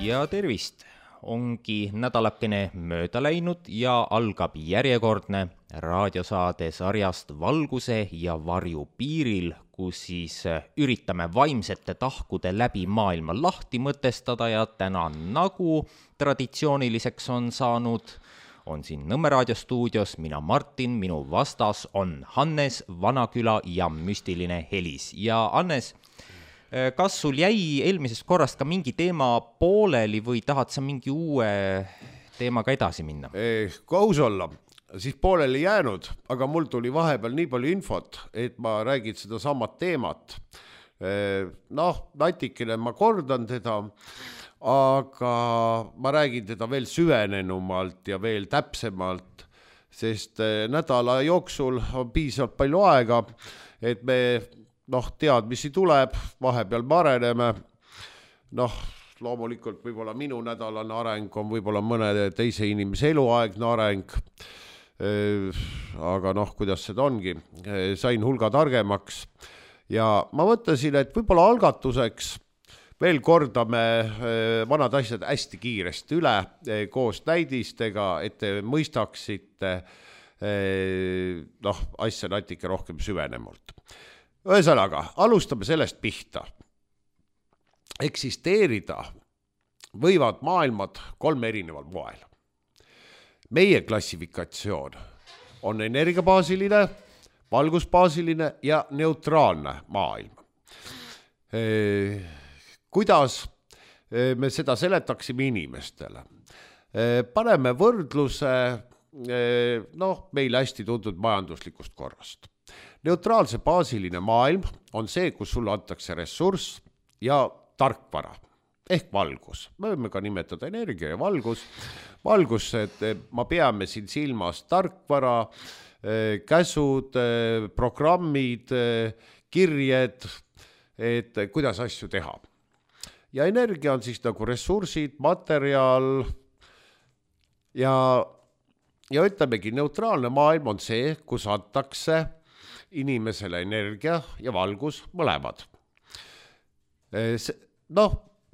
Ja tervist! Ongi nädalakene mööda läinud ja algab järjekordne raadiosaade sarjast Valguse ja varju piiril, kus siis üritame vaimsete tahkude läbi maailma lahti mõtestada ja täna nagu traditsiooniliseks on saanud, on siin Nõmme raadiostuudios mina Martin, minu vastas on Hannes, Vanaküla ja müstiline Helis. Ja Hannes, kas sul jäi eelmisest korrast ka mingi teema pooleli või tahad sa mingi uue teemaga edasi minna? Kui aus olla, siis pooleli jäänud, aga mul tuli vahepeal nii palju infot, et ma räägin seda samat teemat. Natikene ma kordan teda, aga ma räägin teda veel süvenenumalt ja veel täpsemalt, sest nädala jooksul on piisavalt palju aega, et me teadmisi tuleb, vahepeal me areneme. Loomulikult võib-olla minu nädalane areng on võib-olla mõne teise inimese eluaegne areng, aga kuidas seda ongi, sain hulga targemaks ja ma mõtlesin, et võib-olla algatuseks veel kordame vanad asjad hästi kiiresti üle koos näidistega, et te mõistaksite asja natuke rohkem süvenemalt. Ühesõnaga, alustame sellest pihta. Eksisteerida võivad maailmad 3 erineval moel. Meie klassifikatsioon on energiabaasiline, valgusbaasiline ja neutraalne maailm. Kuidas me seda seletaksime inimestele? Paneme võrdluse meile hästi tuntud majanduslikust korrast. Neutraalse baasiline maailm on see, kus sulle antakse ressurss ja tarkvara ehk valgus. Me võime ka nimetada energia ja valgus. Valgus, et ma peame siin silmas tarkvara, käsud, programmid, kirjed, et kuidas asju teha. Ja energia on siis nagu ressursid, materjal ja ütlemegi, neutraalne maailm on see, kus antakse inimesele energia ja valgus mõlemad.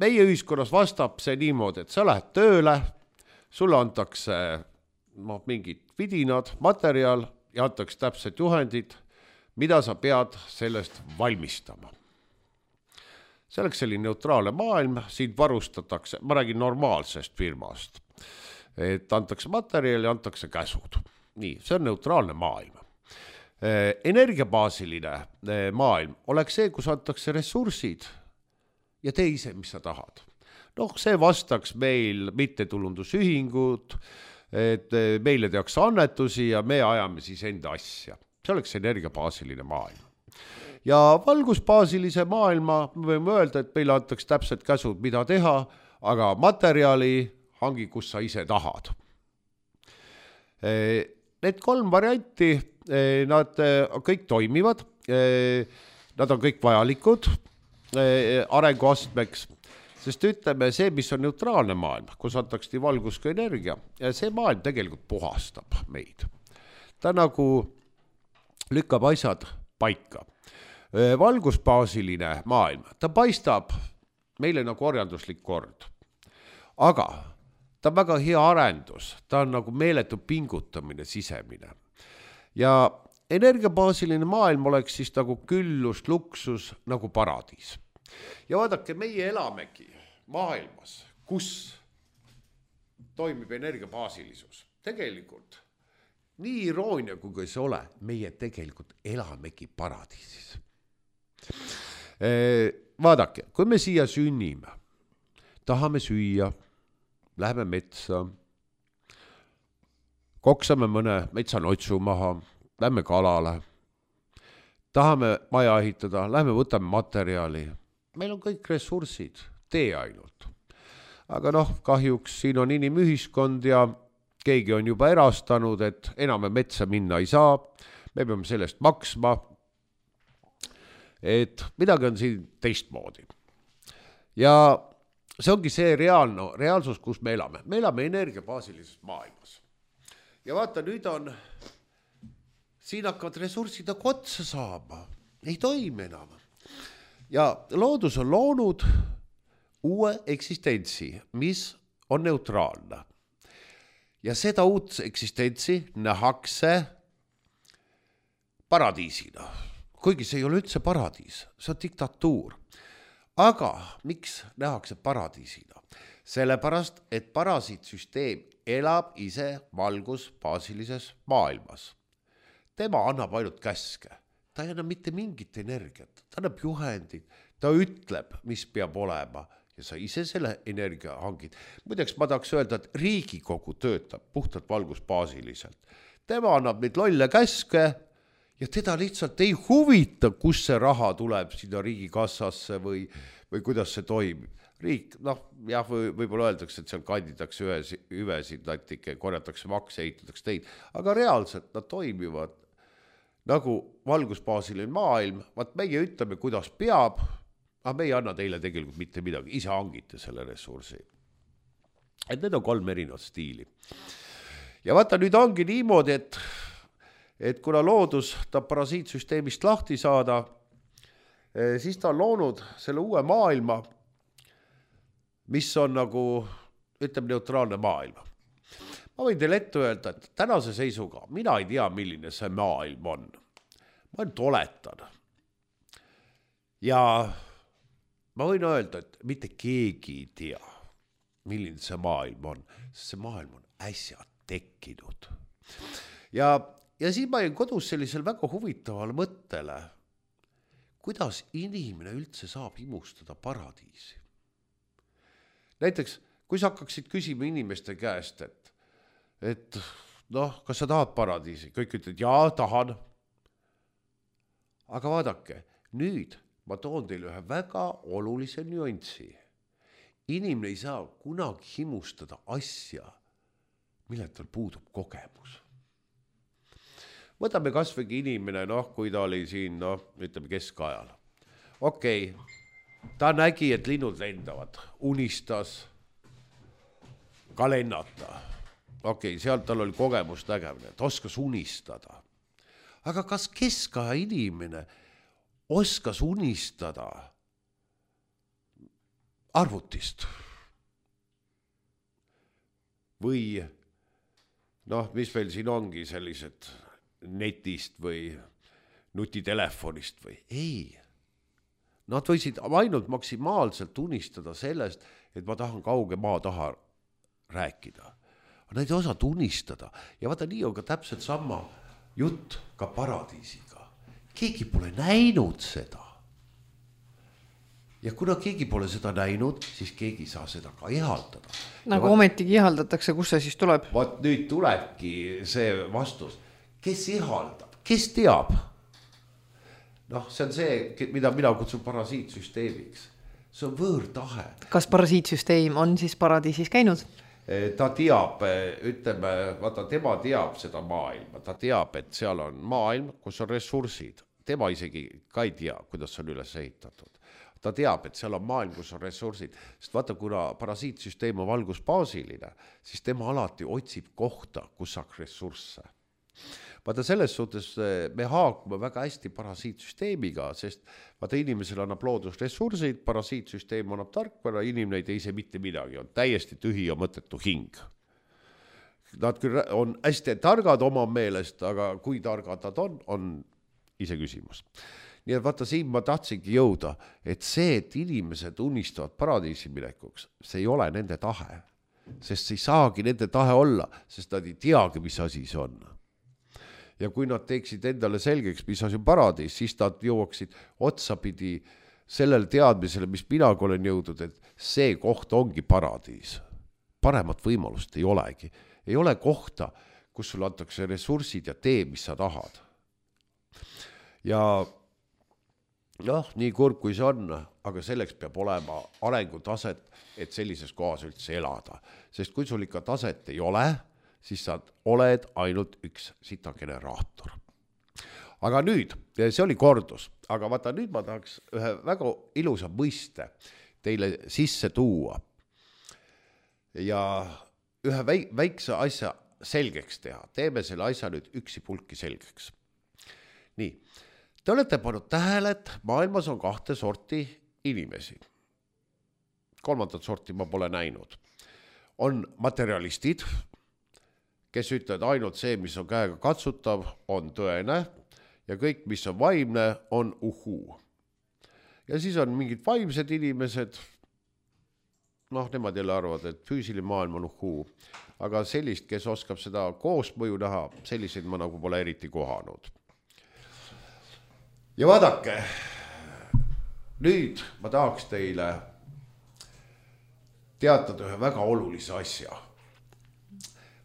Meie ühiskonnas vastab see niimoodi, et sa lähed tööle, sulle antakse mingid vidinad, materjal ja antakse täpsed juhendid, mida sa pead sellest valmistama. See oleks selline neutraalne maailm, siin varustatakse, ma räägin normaalsest firmast, et antakse materjal ja antakse käsud. Nii, see on neutraalne maailm. Energiabaasiline maailm oleks see, kus antakse ressursid ja tee ise, mis sa tahad. See vastaks meil mittetulundusühingud, et meile tehakse annetusi ja me ajame siis enda asja. See oleks energiabaasiline maailm. Ja valgusbaasilise maailma me võime öelda, et meile antakse täpselt käsud, mida teha, aga materjali hangi, kus sa ise tahad. Need 3 varianti, nad kõik toimivad, nad on kõik vajalikud arenguastmeks, sest ütleme see, mis on neutraalne maailm, kus antakse nii valgus kui energia, ja see maailm tegelikult puhastab meid. Ta nagu lükkab asjad paika. Valgusbaasiline maailm, ta paistab meile nagu orjanduslik kord, aga ta on väga hea arendus, ta on nagu meeletu pingutamine sisemine. Ja energiabaasiline maailm oleks siis nagu küllus, luksus, nagu paradiis. Ja vaadake, meie elamegi maailmas, kus toimib energiabaasilisus. Tegelikult, nii iroonia kui see ole, meie tegelikult elamegi paradiisis. Vaadake, kui me siia sünnime, tahame süüa, läheme metsa, koksame mõne metsanotsu maha, lähme kalale, tahame maja ehitada, lähme võtame materjali. Meil on kõik ressursid, tee ainult. Aga kahjuks siin on inimühiskond ja keegi on juba erastanud, et enam metsa minna ei saa, me peame sellest maksma, et midagi on siin teistmoodi. Ja see ongi see reaalsus, kus me elame. Me elame energiabaasilises maailmas. Ja vaata, nüüd on, siin hakkavad ressursid nagu otsa saama. Ei toimi enam. Ja loodus on loonud uue eksistentsi, mis on neutraalne. Ja seda uut eksistentsi nähakse paradiisina. Kuigi see ei ole üldse paradiis, see on diktatuur. Aga miks nähakse paradiisina? Sellepärast, et parasiitsüsteem elab ise valgusbaasilises maailmas. Tema annab ainult käske. Ta ei anna mitte mingit energiat. Ta annab juhendid. Ta ütleb, mis peab olema. Ja sa ise selle energia hangid. Muideks ma tahaks öelda, et Riigikogu töötab puhtalt valgusbaasiliselt. Tema annab neid lolle käske ja teda lihtsalt ei huvita, kus see raha tuleb sinna riigikassasse või kuidas see toimib. Riik, võib-olla öeldakse, et seal kanditakse hüvesid, natuke korjatakse makse, ehitatakse teid, aga reaalselt nad toimivad nagu valgusbaasiline maailm. Vaat meie ütleme, kuidas peab, aga me ei anna teile tegelikult mitte midagi, ise hangite selle ressursi. Et need on 3 erinevat stiili. Ja vaata, nüüd ongi niimoodi, et kuna loodus ta parasiitsüsteemist lahti saada, siis ta on loonud selle uue maailma, mis on nagu, ütleme, neutraalne maailm. Ma võin teile ette öelda, et tänase seisuga mina ei tea, milline see maailm on. Ma ainult oletan. Ja ma võin öelda, et mitte keegi ei tea, milline see maailm on, sest see maailm on äsja tekkinud. Ja siis ma jäin kodus sellisel väga huvitaval mõttele, kuidas inimene üldse saab imustada paradiisi. Näiteks, kui sa hakkaksid küsima inimeste käest, et kas sa tahad paradiisi? Kõik ütled, jaa, tahan. Aga vaadake, nüüd ma toon teile ühe väga olulise nüanssi. Inimene ei saa kunagi himustada asja, mille tal puudub kogemus. Võtame kasvõi inimene, kui ta oli siin, ütleme keskajal. Okei, ta nägi, et linnud lendavad, unistas ka lennata. Okei, sealt tal oli kogemus nägemine, ta oskas unistada. Aga kas keskaja inimene oskas unistada arvutist? Või, mis meil siin ongi sellised netist või nutitelefonist või? Ei. Nad võisid ainult maksimaalselt unistada sellest, et ma tahan kauge maa taha rääkida. Nad ei osanud unistada. Ja vaata, nii on ka täpselt sama jutt ka paradiisiga. Keegi pole näinud seda. Ja kuna keegi pole seda näinud, siis keegi saa seda ka ihaldada. Nagu ometigi ihaldatakse, kus see siis tuleb? Vaat nüüd tulebki see vastus. Kes ihaldab? Kes teab? See on see, mida mina kutsun parasiitsüsteemiks. See on võõrtahe. Kas parasiitsüsteem on siis paradiisis käinud? Ta teab, ütleme, vaata, tema teab seda maailma. Ta teab, et seal on maailm, kus on ressursid. Tema isegi ka ei tea, kuidas on üles ehitatud. Ta teab, et seal on maailm, kus on ressursid. Sest vaata, kuna parasiitsüsteem on valgusbaasiline, siis tema alati otsib kohta, kus saaks ressursse. Vaata, selles suhtes me haakume väga hästi parasiitsüsteemiga, sest vaata, inimesel annab loodus ressursid, parasiitsüsteem annab tarkvara, inimene ei tee ise mitte midagi, on täiesti tühi ja mõttetu hing. Nad küll on hästi targad oma meelest, aga kui targad nad on ise küsimus. Nii et vaata, siin ma tahtsingi jõuda, et see, et inimesed unistavad paradiisi minekuks, see ei ole nende tahe, sest see ei saagi nende tahe olla, sest nad ei teagi, mis asi see on. Ja kui nad teeksid endale selgeks, mis asi on paradiis, siis nad jõuaksid otsapidi sellele teadmisele, mis minaga olen jõudnud, et see koht ongi paradiis. Paremat võimalust ei olegi. Ei ole kohta, kus sul antakse ressursid ja tee, mis sa tahad. Ja nii kurb kui see on, aga selleks peab olema arengutaset, et sellises kohas üldse elada. Sest kui sul ikka taset ei ole, siis sa oled ainult üks sitageneraator. Aga nüüd, see oli kordus, aga vaata nüüd ma tahaks ühe väga ilusa mõiste teile sisse tuua ja ühe väikse asja selgeks teha. Teeme selle asja nüüd üksipulki selgeks. Nii, te olete pannud tähele, et maailmas on 2 sorti inimesi. kolmandat sorti ma pole näinud. On materialistid, kes ütlevad ainult see, mis on käega katsutav, on tõene ja kõik, mis on vaimne, on uhuu. Ja siis on mingid vaimsed inimesed, nemad jälle arvavad, et füüsiline maailm on uhuu, aga sellist, kes oskab seda koosmõju näha, selliseid ma nagu pole eriti kohanud. Ja vaadake, nüüd ma tahaks teile teatada ühe väga olulise asja.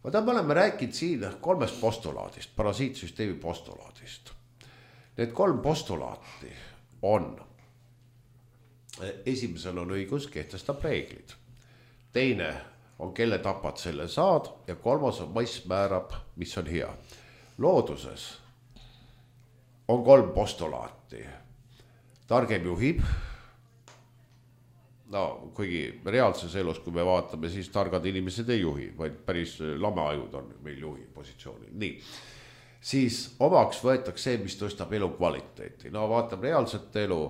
Me oleme rääkinud siin 3 postulaadist, parasiitsüsteemi postulaadist. Need 3 postulaati on: esimesel on õigus, kehtestab reeglid. Teine on, kelle tapad, selle saad. Ja 3. on mass määrab, mis on hea. Looduses on 3 postulaati. Targem juhib. Kuigi reaalses elus, kui me vaatame, siis targad inimesed ei juhi, vaid päris lameajud on meil juhi positsioonil. Nii. Siis omaks võetakse see, mis tõstab elu kvaliteeti. Vaatame reaalset elu,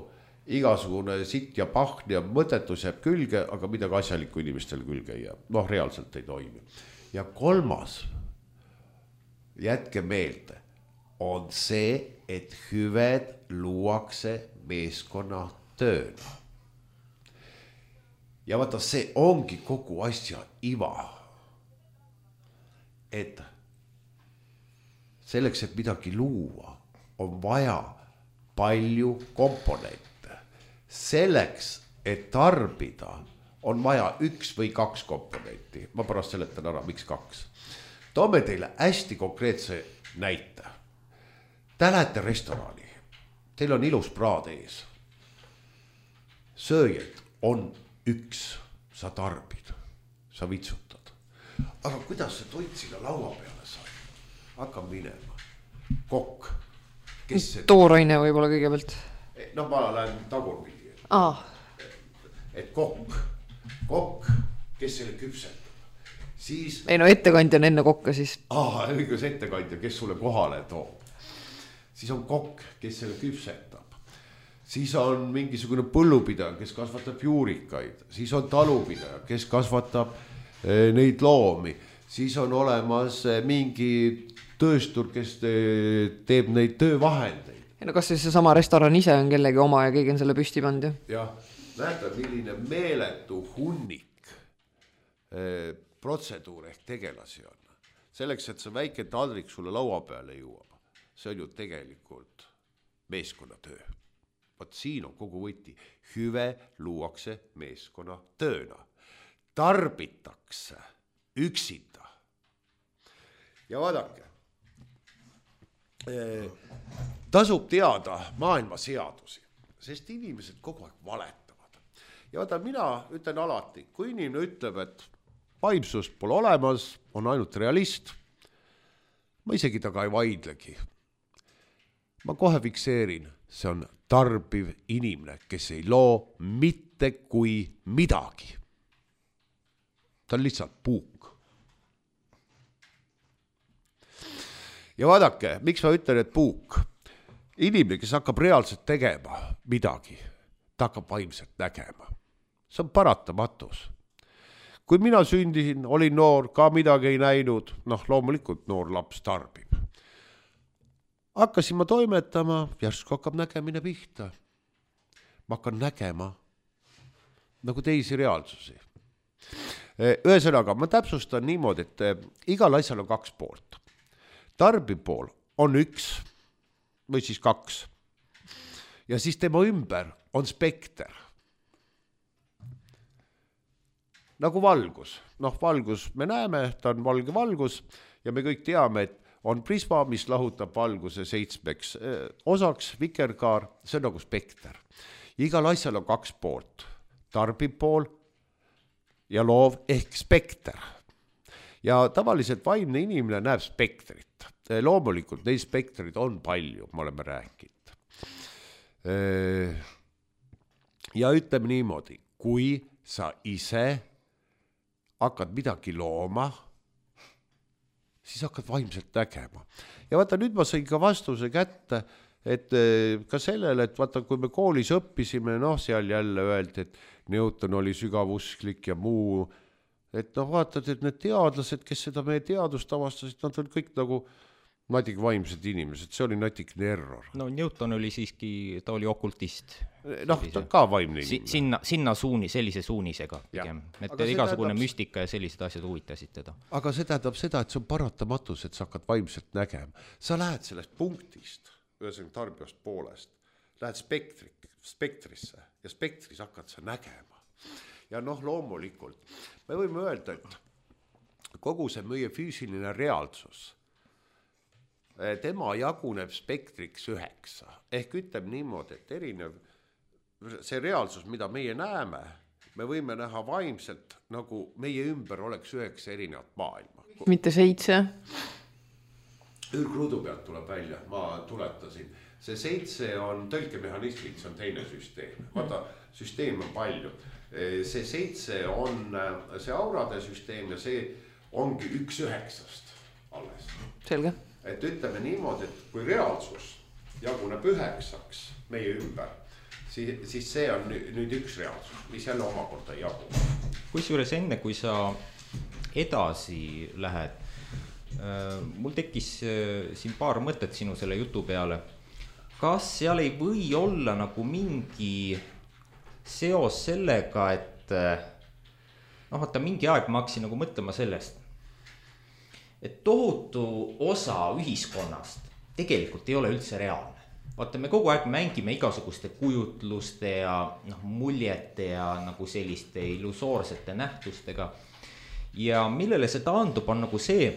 igasugune sitt ja pahn ja mõtetus jääb külge, aga midagi asjalikku inimestel külge ei jää. Reaalselt ei toimi. Ja 3, jätke meelde, on see, et hüved luuakse meeskonna tööna. Ja vaata, see ongi kogu asja iva. Et selleks, et midagi luua, on vaja palju komponente. Selleks, et tarbida, on vaja 1 või 2 komponenti. Ma pärast seletan ära, miks 2. Toome teile hästi konkreetse näite. Te lähete restorani. Teil on ilus praad ees. Sööjad on 1, sa tarbid, sa vitsutad. Aga kuidas see toit sinna laua peale sai? Hakkab minema. Kokk. Tooraine võib-olla kõigepealt. Ma lähen tagurpidi. Et kokk, kes selle küpsetab. Siis... ettekandja on enne kokka siis. Õigus ettekandja, kes sulle kohale toob. Siis on kokk, kes selle küpsetab. Siis on mingisugune põllupidaja, kes kasvatab juurikaid. Siis on talupidaja, kes kasvatab neid loomi. Siis on olemas mingi tööstur, kes teeb neid töövahendeid. Kas siis see sama restoran ise on kellegi oma ja keegi on selle püsti pannud? Jah, näete, milline meeletu hunnik protseduur ehk tegelasi on. Selleks, et see väike taldrik sulle laua peale jõuab. See on ju tegelikult meeskonnatöö. Vaat siin on kogu võti. Hüve luuakse meeskonna tööna. Tarbitakse üksinda. Ja vaadake, tasub teada maailma seadusi, sest inimesed kogu aeg valetavad. Ja vaata, mina ütlen alati, kui inimene ütleb, et vaimsust pole olemas, on ainult realist, ma isegi taga ei vaidlegi. Ma kohe fikseerin, see on tarbiv inimene, kes ei loo mitte kui midagi. Ta on lihtsalt puuk. Ja vaadake, miks ma ütlen, et puuk? Inimene, kes hakkab reaalselt tegema midagi, ta hakkab vaimselt nägema. See on paratamatus. Kui mina sündisin, olin noor, ka midagi ei näinud, loomulikult noor laps tarbib. Hakkasin ma toimetama, järsku hakkab nägemine pihta. Ma hakkan nägema nagu teisi reaalsusi. Ühesõnaga, ma täpsustan niimoodi, et igal asjal on 2 poolt. Tarbiv pool on 1 või siis 2. Ja siis tema ümber on spekter. Nagu valgus. Valgus me näeme, ta on valge valgus ja me kõik teame, et on prisma, mis lahutab valguse 7 osaks, vikerkaar, see on nagu spekter. Igal asjal on 2 poolt, tarbib pool ja loov ehk spekter. Ja tavaliselt vaimne inimene näeb spektrit. Loomulikult neid spektrid on palju, me oleme rääkinud. Ja ütleme niimoodi, kui sa ise hakkad midagi looma, siis hakkad vaimselt nägema. Ja vaata, nüüd ma sain ka vastuse kätte, et ka sellele, et vaata, kui me koolis õppisime, seal jälle öeldi, et Newton oli sügavusklik ja muu, et noh, vaatad, et need teadlased, kes seda meie teadust avastasid, nad on kõik nagu natik vaimsed inimesed, see oli natikene error. No Newton oli siiski, ta oli okultist. Noh, ta ka vaimne inimene. Sinna sellise suunisega pigem. Et igasugune müstika ja sellised asjad huvitasid teda. Aga see tähendab seda, et see on paratamatus, et sa hakkad vaimselt nägema. Sa lähed sellest punktist, ühesõnaga tarbijast poolest, lähed spektrisse ja spektris hakkad sa nägema. Ja noh, loomulikult, me võime öelda, et kogu see meie füüsiline reaalsus, tema jaguneb spektriks 9. Ehk ütleb niimoodi, et erinev see reaalsus, mida meie näeme, me võime näha vaimselt, nagu meie ümber oleks 9 erinevat maailma. Mitte 7. Ürgruudu pealt tuleb välja, ma tuletasin. See 7 on tõlkemehhanismid, see on teine süsteem. Vaata, süsteem on palju. See 7 on see aurade süsteem ja see ongi 1/9 alles. Selge. Et ütleme niimoodi, et kui reaalsus jaguneb 9 meie ümber, siis see on nüüd üks reaalsus, mis jälle omakorda jagu. Kusjuures enne, kui sa edasi lähed, mul tekkis siin paar mõtet sinu selle jutu peale. Kas seal ei või olla nagu mingi seos sellega, et noh, vaata mingi aeg ma hakkasin nagu mõtlema sellest, et tohutu osa ühiskonnast tegelikult ei ole üldse reaalne. Vaata, me kogu aeg mängime igasuguste kujutluste ja muljete ja nagu selliste illusoorsete nähtustega. Ja millele see taandub, on nagu see,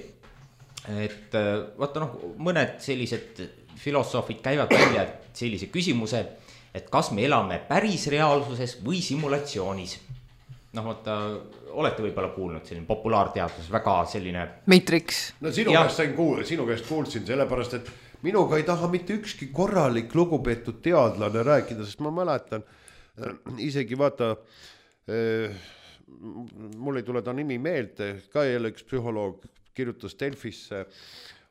et vaata mõned sellised filosoofid käivad välja sellise küsimuse, et kas me elame päris reaalsuses või simulatsioonis. Noh, vaata, olete võib-olla kuulnud selline populaarteadus, väga selline Matrix. No sinu käest kuulsin, sellepärast, et minuga ei taha mitte ükski korralik lugupeetud teadlane rääkida, sest ma mäletan, isegi vaata, mul ei tule ta nimi meelde, ka jälle üks psühholoog kirjutas Delfisse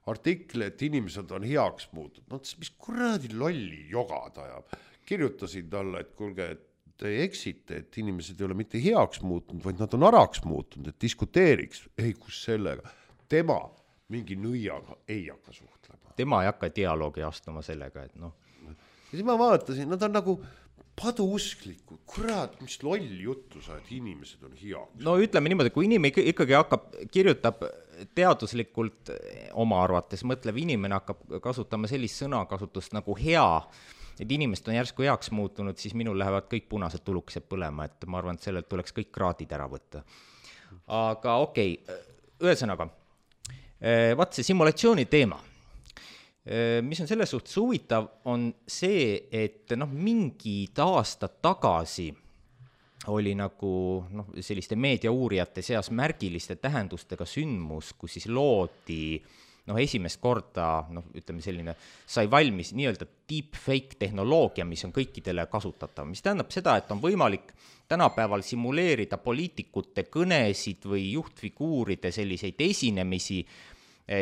artikli, et inimesed on heaks muutud. Mis kuradi lolli jogad ajab. Kirjutasin talle, et kuulge, et te eksite, et inimesed ei ole mitte heaks muutunud, vaid nad on araks muutunud, et diskuteeriks. Ei, kus sellega. Tema mingi nõiaga ei hakka suhtlema. Tema ei hakka dialoogi astuma sellega, et noh. Ja siis ma vaatasin, nad on nagu paduusklikud. Kurat, mis loll juttu sa, et inimesed on heaks. No ütleme niimoodi, kui inimene ikkagi kirjutab teaduslikult oma arvates, mõtlev inimene hakkab kasutama sellist sõnakasutust nagu hea, et inimesed on järsku heaks muutunud, siis minul lähevad kõik punased tulukesed põlema, et ma arvan, et sellelt tuleks kõik kraadid ära võtta. Aga okei, ühesõnaga, vaat see simulatsiooni teema, mis on selles suhtes huvitav, on see, et mingid aastad tagasi oli nagu selliste meediauurijate seas märgiliste tähendustega sündmus, kus siis loodi esimest korda, ütleme selline, sai valmis nii-öelda deepfake tehnoloogia, mis on kõikidele kasutatav, mis tähendab seda, et on võimalik tänapäeval simuleerida poliitikute kõnesid või juhtfiguuride selliseid esinemisi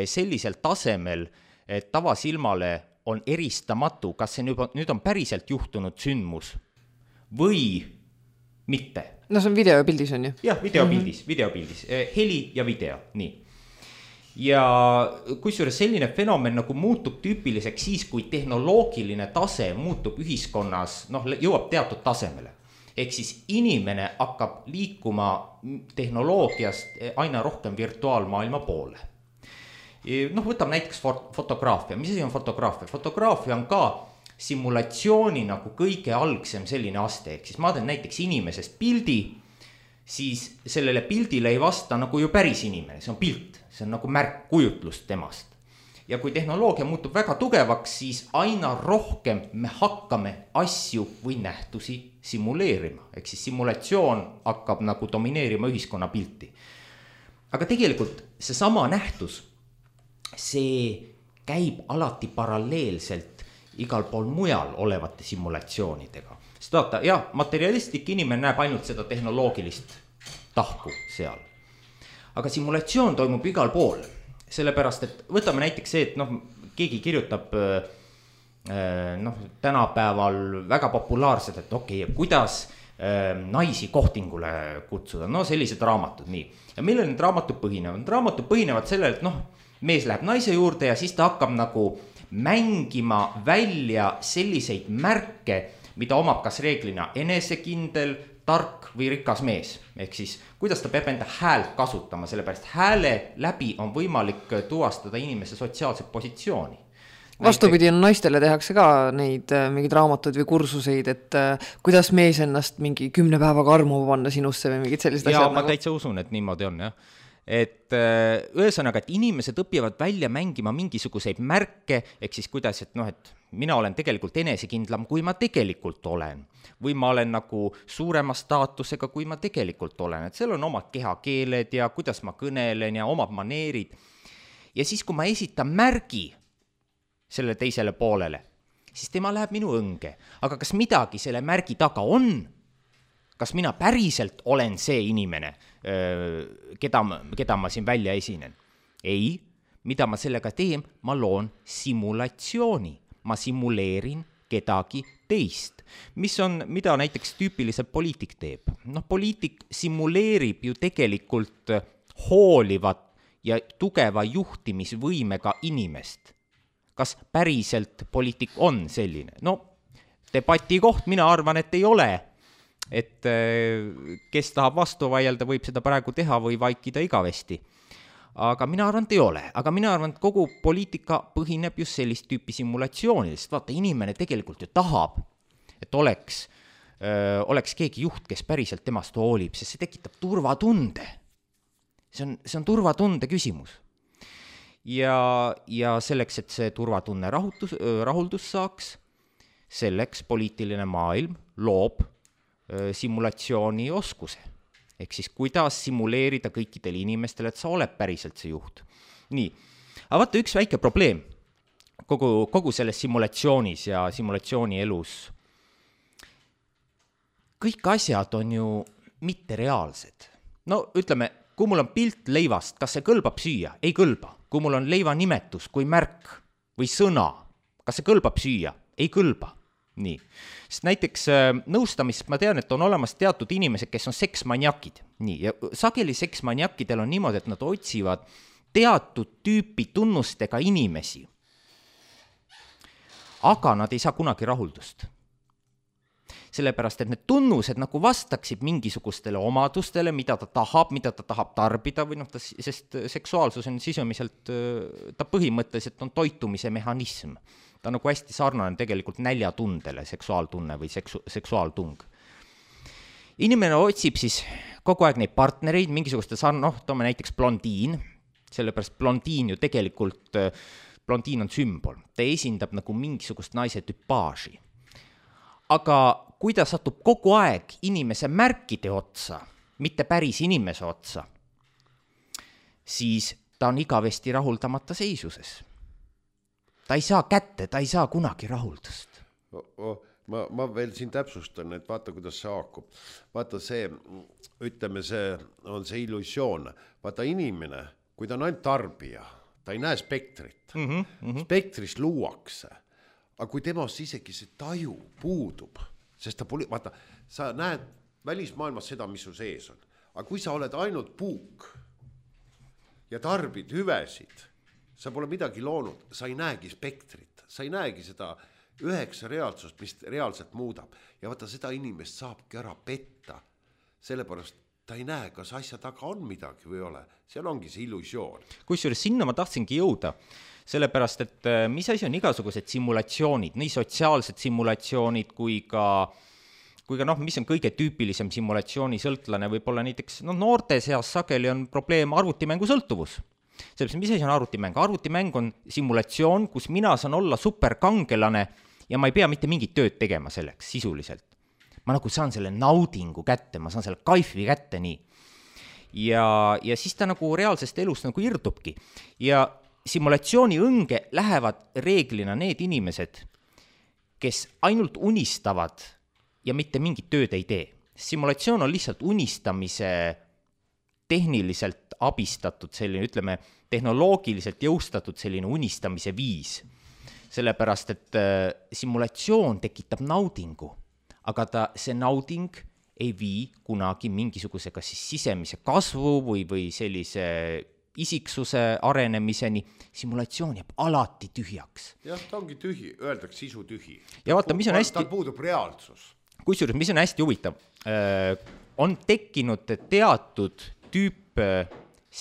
sellisel tasemel, et tavasilmale on eristamatu, kas see nüüd on päriselt juhtunud sündmus või mitte. No see on videopildis on ju? Jah, videopildis, heli ja video, nii. Ja kusjuures selline fenomen nagu muutub tüüpiliseks siis, kui tehnoloogiline tase muutub ühiskonnas, jõuab teatud tasemele. Ehk siis inimene hakkab liikuma tehnoloogiast aina rohkem virtuaalmaailma poole. Võtab näiteks fotograafia. Mis asi on fotograafia? Fotograafia on ka simulatsiooni nagu kõige algsem selline aste. Ehk siis ma teen näiteks inimesest pildi, siis sellele pildile ei vasta nagu ju päris inimene, see on pilt. See on nagu märk kujutlust temast. Ja kui tehnoloogia muutub väga tugevaks, siis aina rohkem me hakkame asju või nähtusi simuleerima. Ehk siis simulatsioon hakkab nagu domineerima ühiskonna pilti. Aga tegelikult see sama nähtus, see käib alati paralleelselt igal pool mujal olevate simulatsioonidega. Sest vaata, materialistlik inimene näeb ainult seda tehnoloogilist tahku seal. Aga simulatsioon toimub igal pool, sellepärast, et võtame näiteks see, et keegi kirjutab tänapäeval väga populaarselt, et kuidas naisi kohtingule kutsuda, no sellised raamatud, nii. Ja millel need raamatud põhinevad? Raamatud põhinevad sellel, et noh, mees läheb naise juurde ja siis ta hakkab nagu mängima välja selliseid märke, mida omab kas reeglina enesekindel, tark või rikas mees. Ehk siis, kuidas ta peab enda häält kasutama, sellepärast hääle läbi on võimalik tuvastada inimese sotsiaalset positsiooni. Vastupidi, naistele tehakse ka neid mingid raamatud või kursuseid, et kuidas mees ennast mingi 10 päevaga armuma panna sinusse või mingid sellised asjad. Ja ma täitsa usun, et niimoodi on, jah. Et ühesõnaga, et inimesed õpivad välja mängima mingisuguseid märke, ehk siis kuidas, et noh, et mina olen tegelikult enesekindlam, kui ma tegelikult olen. Või ma olen nagu suurema staatusega, kui ma tegelikult olen. Et seal on omad kehakeeled ja kuidas ma kõnelen ja omad maneerid. Ja siis, kui ma esitan märgi selle teisele poolele, siis tema läheb minu õnge. Aga kas midagi selle märgi taga on? Kas mina päriselt olen see inimene, keda ma siin välja esinen? Ei, mida ma sellega teen? Ma loon simulatsiooni. Ma simuleerin kedagi teist. Mida näiteks tüüpiliselt poliitik teeb? Noh, poliitik simuleerib ju tegelikult hoolivat ja tugeva juhtimisvõimega inimest. Kas päriselt poliitik on selline? No, debati koht, mina arvan, et ei ole. Et kes tahab vastu vaielda, võib seda praegu teha või vaikida igavesti. Aga mina arvan, et ei ole. Aga mina arvan, et kogu poliitika põhineb just sellist tüüpi simulatsioonidest. Vaata, inimene tegelikult ju tahab, et oleks keegi juht, kes päriselt temast hoolib, sest see tekitab turvatunde. See on turvatunde küsimus. Ja selleks, et see turvatunne rahuldus saaks, selleks poliitiline maailm loob simulatsiooni oskuse. Ehk siis, kuidas simuleerida kõikidele inimestele, et sa oled päriselt see juht. Nii, aga vaata üks väike probleem kogu selles simulatsioonis ja simulatsiooni elus. Kõik asjad on ju mittereaalsed. No ütleme, kui mul on pilt leivast, kas see kõlbab süüa? Ei kõlba. Kui mul on leiva nimetus, kui märk või sõna, kas see kõlbab süüa? Ei kõlba. Nii. Sest näiteks nõustamist ma tean, et on olemas teatud inimesed, kes on seksmaniakid. Nii. Ja sageli seksmaniakidel on niimoodi, et nad otsivad teatud tüüpi tunnustega inimesi. Aga nad ei saa kunagi rahuldust. Sellepärast, et need tunnused nagu vastaksid mingisugustele omadustele, mida ta tahab tarbida, või noh, sest seksuaalsus on sisumiselt, ta põhimõtteliselt on toitumise mehhanism. Ta on nagu hästi sarnane tegelikult näljatundele, seksuaaltunne või seksuaaltung. Inimene otsib siis kogu aeg neid partnereid, mingisuguste toome näiteks blondiin, sellepärast blondiin ju tegelikult, blondiin on sümbol, ta esindab nagu mingisugust naise tüpaaži. Aga kui ta satub kogu aeg inimese märkide otsa, mitte päris inimese otsa, siis ta on igavesti rahuldamata seisuses. Ta ei saa kätte, ta ei saa kunagi rahuldust. Ma veel siin täpsustan, et vaata, kuidas see haakub. Vaata see, ütleme, see on see illusioon. Vaata inimene, kui ta on ainult tarbija, ta ei näe spektrit. Spektrist luuakse. Aga kui temast isegi see taju puudub, sest vaata, sa näed välismaailmas seda, mis su sees on. Aga kui sa oled ainult puuk ja tarbid hüvesid, sa pole midagi loonud, sa ei näegi spektrit, sa ei näegi seda 9 reaalsust, mis reaalselt muudab. Ja vaata, seda inimest saabki ära petta, sellepärast ta ei näe, kas asja taga on midagi või ole. Seal ongi see illusioon. Kusjuures sinna ma tahtsingi jõuda, sellepärast, et mis asi on igasugused simulatsioonid, nii sotsiaalsed simulatsioonid kui ka mis on kõige tüüpilisem simulatsiooni sõltlane, võib-olla näiteks noorte seas sageli on probleem arvutimängu sõltuvus. Sellepärast, mis asi on arvutimäng? Arvutimäng on simulatsioon, kus mina saan olla superkangelane ja ma ei pea mitte mingit tööd tegema selleks sisuliselt. Ma nagu saan selle naudingu kätte, ma saan selle kaifi kätte nii. Ja siis ta nagu reaalsest elust nagu irdubki. Ja simulatsiooni õnge lähevad reeglina need inimesed, kes ainult unistavad ja mitte mingit tööd ei tee. Simulatsioon on lihtsalt unistamise tehniliselt abistatud selline, ütleme, tehnoloogiliselt jõustatud selline unistamise viis. Sellepärast, et simulatsioon tekitab naudingu, aga see nauding ei vii kunagi mingisuguse kas siis sisemise kasvu või sellise isiksuse arenemiseni, simulatsioon jääb alati tühjaks. Jah, ta ongi tühi, öeldakse sisu tühi. Ja vaata, mis on hästi... Tal puudub reaalsus. Kusjuures, mis on hästi huvitav, on tekkinud teatud tüüp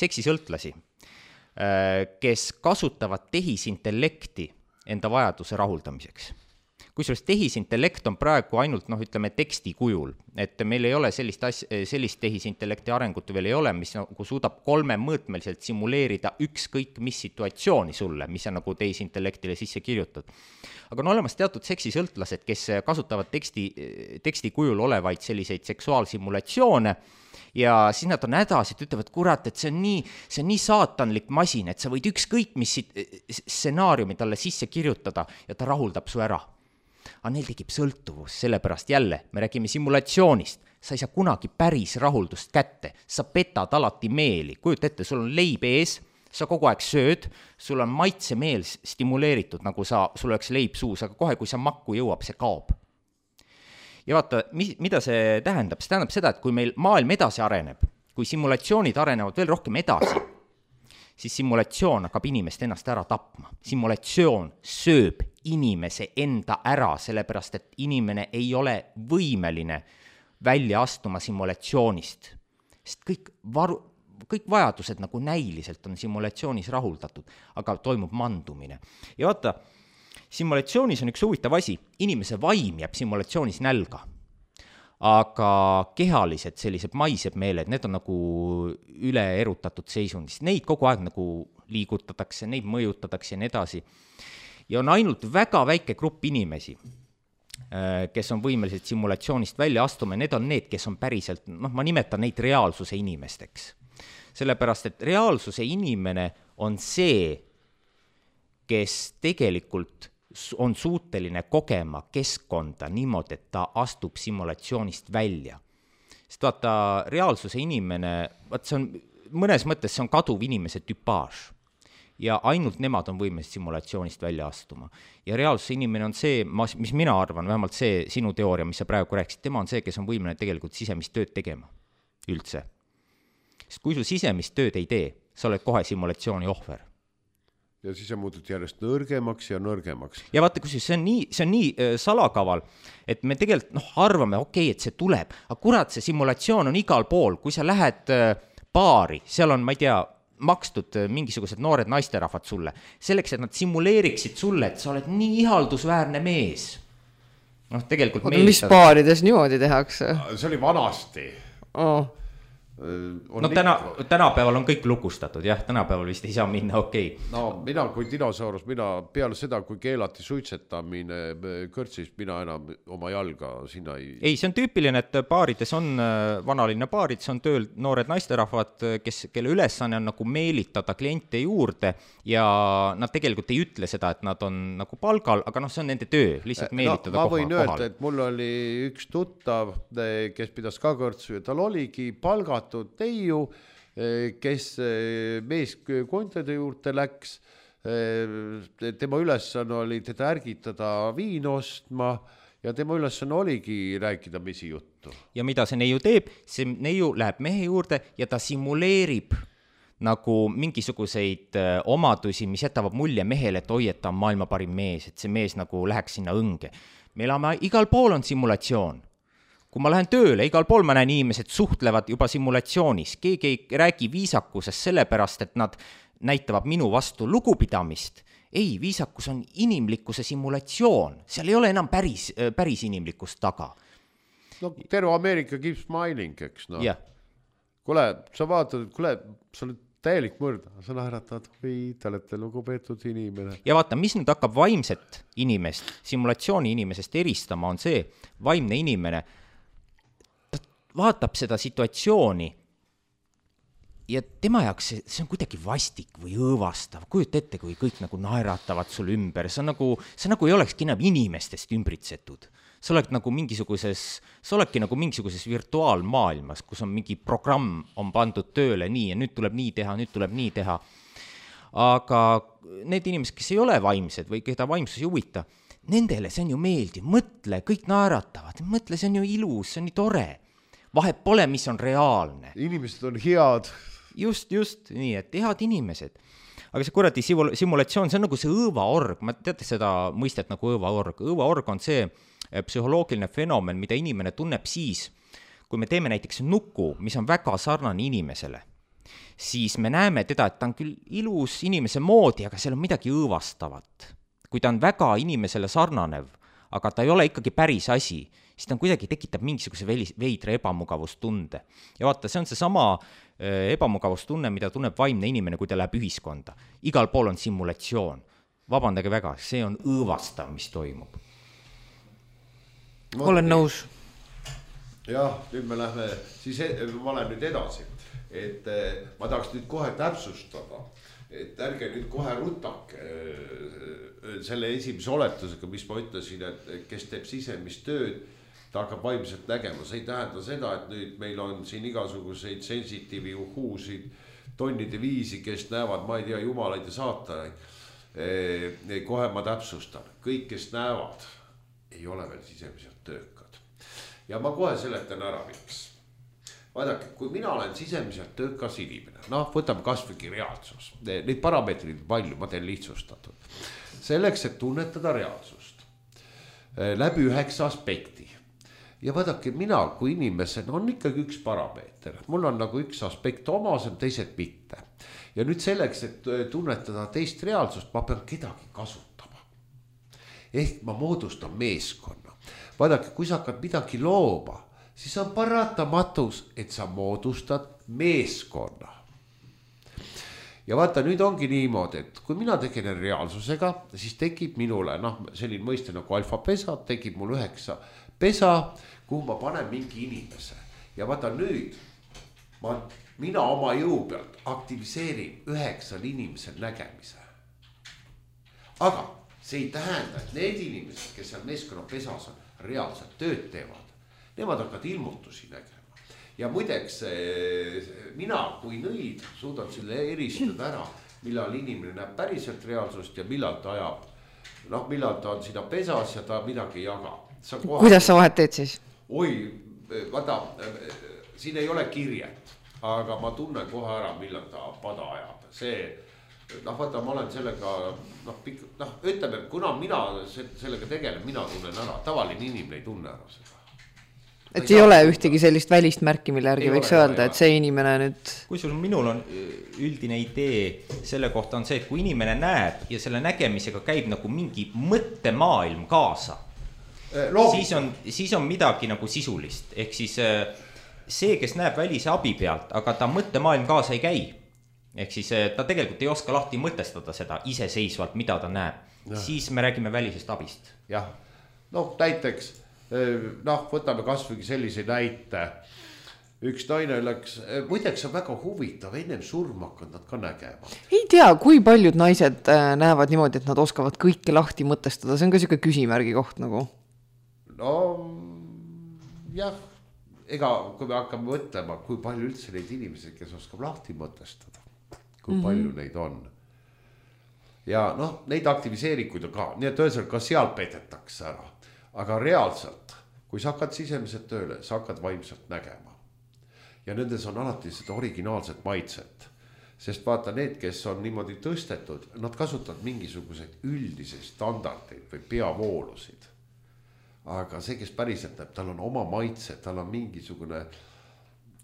seksisõltlasi, kes kasutavad tehisintellekti enda vajaduse rahuldamiseks. Kusjuures tehisintellekt on praegu ainult, ütleme, teksti kujul, et meil ei ole sellist tehisintellekti arengut veel ei ole, mis nagu suudab 3-mõõtmeliselt simuleerida ükskõik mis situatsiooni sulle, mis on nagu tehisintellektile sisse kirjutad. Aga on olemas teatud seksisõltlased, kes kasutavad teksti kujul olevaid selliseid seksuaalsimulatsioone ja siis nad on hädas, et ütlevad, kurat, et see on nii saatanlik masin, et sa võid ükskõik mis stsenaariumi talle sisse kirjutada ja ta rahuldab su ära. Aga neil tekib sõltuvus, sellepärast jälle, me räägime simulatsioonist, sa ei saa kunagi päris rahuldust kätte, sa petad alati meeli, kujuta ette, sul on leib ees, sa kogu aeg sööd, sul on maitsemeel stimuleeritud, nagu sul oleks leib suus, aga kohe, kui sa makku jõuab, see kaob. Ja vaata, mida see tähendab? See tähendab seda, et kui meil maailm edasi areneb, kui simulatsioonid arenevad veel rohkem edasi, siis simulatsioon hakkab inimest ennast ära tapma. Simulatsioon sööb inimese enda ära, sellepärast et inimene ei ole võimeline välja astuma simulatsioonist. Sest kõik vajadused nagu näiliselt on simulatsioonis rahuldatud, aga toimub mandumine. Ja vaata, simulatsioonis on üks huvitav asi, inimese vaim jääb simulatsioonis nälga, aga kehalised sellised maised meeled, need on nagu üle erutatud seisundist, neid kogu aeg nagu liigutatakse, neid mõjutatakse ja nii edasi. Ja on ainult väga väike grupp inimesi, kes on võimelised simulatsioonist välja astuma, need on need, kes on päriselt, ma nimetan neid reaalsuse inimesteks. Sellepärast, et reaalsuse inimene on see, kes tegelikult on suuteline kogema keskkonda niimoodi, et ta astub simulatsioonist välja. Sest vaata, reaalsuse inimene, see on, mõnes mõttes see on kaduv inimese tüpaaž. Ja ainult nemad on võimelised simulatsioonist välja astuma. Ja reaalsuse inimene on see, mis mina arvan, vähemalt see sinu teooria, mis sa praegu rääkisid, tema on see, kes on võimeline tegelikult sisemist tööd tegema üldse. Sest kui sul sisemist tööd ei tee, sa oled kohe simulatsiooni ohver. Ja siis on muutud järjest nõrgemaks ja nõrgemaks. Ja vaata, kui see on nii salakaval, et me tegelikult arvame, et see tuleb, aga kurat, see simulatsioon on igal pool, kui sa lähed baari, seal on, ma ei tea, makstud mingisugused noored naisterahvad sulle, selleks, et nad simuleeriksid sulle, et sa oled nii ihaldusväärne mees. Tegelikult mis baarides niimoodi tehakse? See oli vanasti. Tänapäeval on kõik lukustatud, jah, tänapäeval vist ei saa minna, okei. Mina kui dinosaurus, peale seda, kui keelati suitsetamine kõrtsis, mina enam oma jalga sinna ei, see on tüüpiline, et baarides on vanalinna baarid, see on tööl noored naisterahvad, kelle ülesanne on nagu meelitada kliente juurde ja nad tegelikult ei ütle seda, et nad on nagu palgal, aga see on nende töö, lihtsalt meelitada ma võin öelda, et mul oli üks tuttav, kes pidas ka kõrtsu ja tal oligi palgat teiu, kes mees kontade juurde läks, tema ülesanne oli teda ärgitada viin ostma ja tema ülesanne oligi rääkida misi juttu. Ja mida see neiu teeb? See neiu läheb mehe juurde ja ta simuleerib nagu mingisuguseid omadusi, mis jätavad mulje mehele, et oi, et ta on maailma parim mees, et see mees nagu läheks sinna õnge. Me elame, igal pool on simulatsioon. Kui ma lähen tööle, igal pool ma näen inimesed suhtlevad juba simulatsioonis. Keegi ei räägi viisakusest sellepärast, et nad näitavad minu vastu lugupidamist. Ei, viisakus on inimlikkuse simulatsioon. Seal ei ole enam päris inimlikkust taga. Terve Ameerika keep smiling, eks no. Yeah. Kule, sa vaatad, sa oled täielik mõrda, sa naeratad, või te olete lugupeetud inimene. Ja vaata, mis nüüd hakkab vaimset inimest, simulatsiooni inimesest eristama, on see vaimne inimene, vaatab seda situatsiooni ja tema jaoks see on kuidagi vastik või õõvastav. Kujuta ette, kui kõik nagu naeratavad sul ümber. See nagu ei olekski enam inimestest ümbritsetud. Sa oledki nagu mingisuguses virtuaalmaailmas, kus on mingi programm on pandud tööle nii ja nüüd tuleb nii teha. Aga need inimesed, kes ei ole vaimsed või keda vaimsus ei huvita, nendele see on ju meeldiv. Mõtle, kõik naeratavad. Mõtle, see on ju ilus, see on nii tore. vahet pole, mis on reaalne. Inimesed on head. Just, nii, et head inimesed. Aga see kuradi simulatsioon, see on nagu see õõvaorg, ma teate seda mõistet nagu õõvaorg. Õõvaorg on see psühholoogiline fenomen, mida inimene tunneb siis, kui me teeme näiteks nuku, mis on väga sarnane inimesele, siis me näeme teda, et ta on küll ilus inimese moodi, aga seal on midagi õõvastavat. Kui ta on väga inimesele sarnanev, aga ta ei ole ikkagi päris asi, siis ta kuidagi tekitab mingisuguse veidra ebamugavustunde. Ja vaata, see on see sama ebamugavustunne, mida tunneb vaimne inimene, kui ta läheb ühiskonda. Igal pool on simulatsioon. Vabandage väga, see on õõvastav, mis toimub. Olen nõus. Jah, nüüd me lähme, siis ma olen nüüd edasi, et ma tahaks nüüd kohe täpsustada, et ärge nüüd kohe rutake selle esimese oletusega, mis ma ütlesin, et kes teeb sisemist tööd, ta hakkab vaimselt nägema. See ei tähenda seda, et nüüd meil on siin igasuguseid sensitiivi uhuusid, tonnide viisi, kes näevad, ma ei tea, jumalaid ja saatanaid. Kohe ma täpsustan, kõik, kes näevad, ei ole veel sisemiselt töökad. Ja ma kohe seletan ära, miks. Vaadake, kui mina olen sisemiselt töökas inimene, võtame kasvõi reaalsus. Neid parameetrid palju, ma teen lihtsustatud. Selleks, et tunnetada reaalsust läbi 9 aspekti. Ja vaadake, mina kui inimesena on ikkagi üks parameeter. Mul on nagu üks aspekt omasem, teised mitte. Ja nüüd selleks, et tunnetada teist reaalsust, ma pean kedagi kasutama. Ehk ma moodustan meeskonna. Vaadake, kui sa hakkad midagi looma, siis on paratamatus, et sa moodustad meeskonna. Ja vaata, nüüd ongi niimoodi, et kui mina tegelen reaalsusega, siis tekib minule, selline mõiste nagu alfapesa, tekib mul 9 pesa, kuhu ma panen mingi inimese. Ja vaata nüüd, mina oma jõu pealt aktiviseerin 9 inimesel nägemise. Aga see ei tähenda, et need inimesed, kes seal meeskonna pesas on, reaalselt tööd teevad. Nemad hakkavad ilmutusi nägema. Ja muideks, mina kui nõid suudan selle eristada ära, millal inimene näeb päriselt reaalsust ja millal ta ajab. Millal ta on sinna pesas ja ta midagi ei jaga. Kuidas sa vahet teed siis? Oi, vaata, siin ei ole kirjet, aga ma tunnen kohe ära, millal ta pada ajab. See, vaata, ma olen sellega, ütleme, kuna mina sellega tegelen, mina tunnen ära. Tavaline inimene ei tunne ära seda. Et ei ole ühtegi sellist välist märki, mille järgi võiks öelda, et see inimene nüüd... Kusjuures minul on üldine idee selle kohta on see, et kui inimene näeb ja selle nägemisega käib nagu mingi mõttemaailm kaasa, siis on midagi nagu sisulist. Ehk siis see, kes näeb välise abi pealt, aga ta mõttemaailm kaasa ei käi. Ehk siis ta tegelikult ei oska lahti mõtestada seda iseseisvalt, mida ta näeb. Ja. Siis me räägime välisest abist. Jah, näiteks... võtame kasvõi sellise näite. Üks naine läks, muideks on väga huvitav, ennem surma hakkad nad ka nägema. Ei tea, kui paljud naised näevad niimoodi, et nad oskavad kõike lahti mõtestada, see on ka selline küsimärgi koht nagu. Jah, ega kui me hakkame mõtlema, kui palju üldse neid inimesi, kes oskab lahti mõtestada, kui palju neid on. Ja neid aktiviseerikuid on ka, nii et ühesõnaga ka seal petetakse ära. Aga reaalselt, kui sa hakkad sisemiselt tööle, sa hakkad vaimselt nägema. Ja nendes on alati seda originaalset maitset. Sest vaata, need, kes on niimoodi tõstetud, nad kasutavad mingisuguseid üldisi standardeid või peavoolusid. Aga see, kes päriselt näeb, tal on oma maitse, tal on mingisugune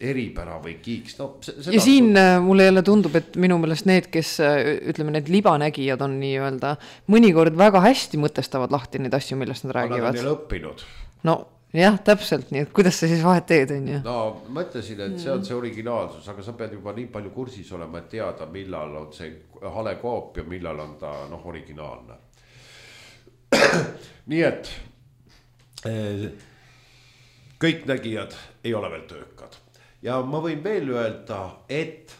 eripära või kiiks. Ja siin mulle jälle tundub, et minu meelest need, kes ütleme, need libanägijad on nii öelda, mõnikord väga hästi mõtestavad lahti neid asju, millest nad räägivad. Nad on neil õppinud. Jah, täpselt nii, et kuidas sa siis vahet teed, on ju? Ma ütlesin, et see on see originaalsus, aga sa pead juba nii palju kursis olema, et teada, millal on see hale koop ja millal on ta originaalne. Nii et kõik nägijad ei ole veel töökad. Ja ma võin veel öelda, et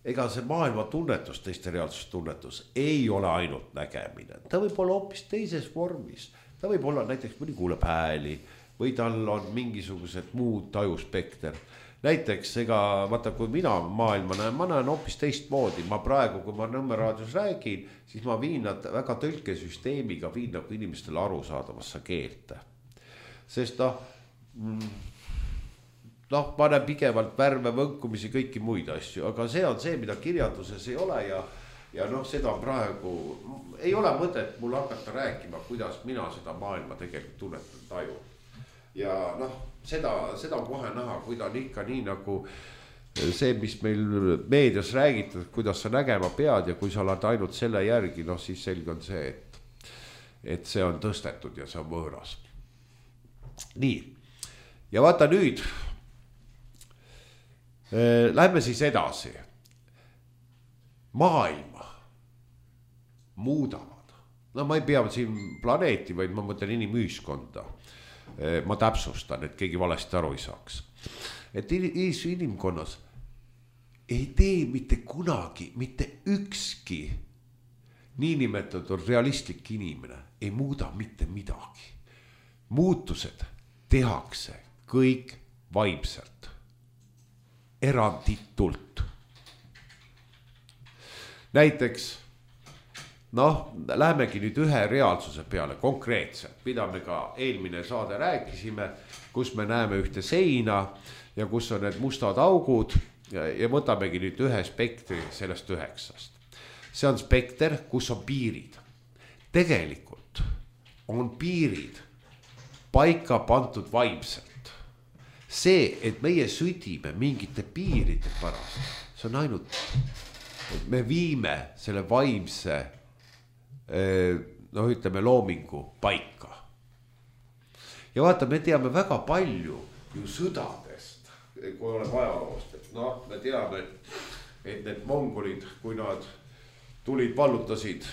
ega see maailma tunnetus, teiste reaalsustunnetus ei ole ainult nägemine. Ta võib olla hoopis teises vormis. Ta võib olla näiteks mõni kuuleb hääli või tal on mingisugused muud tajuspekter. Näiteks, vaata, kui mina maailma näen, ma näen hoopis teistmoodi. Ma praegu, kui ma Nõmme raadios räägin, siis ma viin nad väga tõlkesüsteemiga, viin nagu inimestele arusaadavasse keelte. Sest noh, ma näen pigevalt värve, võnkumisi, kõiki muid asju, aga see on see, mida kirjanduses ei ole ja noh, seda praegu ei ole mõtet mul hakata rääkima, kuidas mina seda maailma tegelikult tunnetan, taju. Ja noh, seda on kohe näha, kui ta on ikka nii nagu see, mis meil meedias räägitud, kuidas sa nägema pead ja kui sa oled ainult selle järgi, noh siis selge on see, et see on tõstetud ja see on võõras. Nii, ja vaata nüüd, lähme siis edasi. Maailma muudavad. No ma ei pea siin planeeti, vaid ma mõtlen inimühiskonda. Ma täpsustan, et keegi valesti aru ei saaks. Et inimkonnas ei tee mitte kunagi, mitte ükski niinimetatud realistlik inimene ei muuda mitte midagi. Muutused tehakse kõik vaimselt. Eranditult. Näiteks, noh, lähemegi nüüd ühe reaalsuse peale konkreetselt, mida me ka eelmine saade rääkisime, kus me näeme ühte seina ja kus on need mustad augud ja võtamegi nüüd ühe spektri sellest 9. See on spekter, kus on piirid. Tegelikult on piirid paika pandud vaimselt. See, et meie südime mingite piiride pärast, see on ainult, et me viime selle vaimse, noh ütleme, loomingu paika. Ja vaata, me teame väga palju ju sõdadest, kui oleme ajaloost, et noh, me teame, et need mongolid, kui nad tulid, vallutasid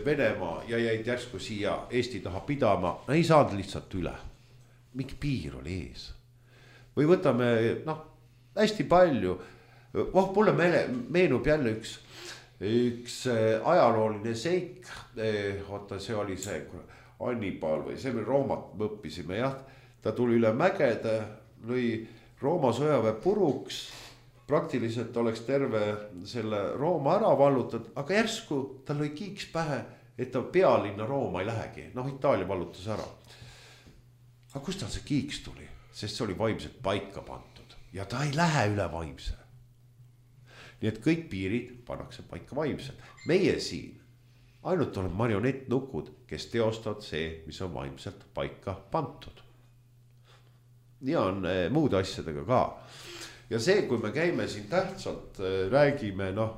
Venemaa ja jäid järsku siia Eesti taha pidama, ei saanud lihtsalt üle. Mingi piir oli ees. Või võtame, noh, hästi palju, mulle meenub jälle üks ajalooline seik, oota, see oli see Hannibal või see me Roomat õppisime, jah, ta tuli üle mägede, lõi Rooma sõjaväe puruks, praktiliselt oleks terve selle Rooma ära vallutatud, aga järsku tal lõi kiiks pähe, et ta pealinna Rooma ei lähegi, noh, Itaalia vallutas ära. Aga kust tal see kiiks tuli? Sest see oli vaimselt paika pandud ja ta ei lähe üle vaimse. Nii et kõik piirid pannakse paika vaimselt. Meie siin ainult on marionettnukud, kes teostavad see, mis on vaimselt paika pandud. Ja on muude asjadega ka. Ja see, kui me käime siin tähtsalt, räägime, noh,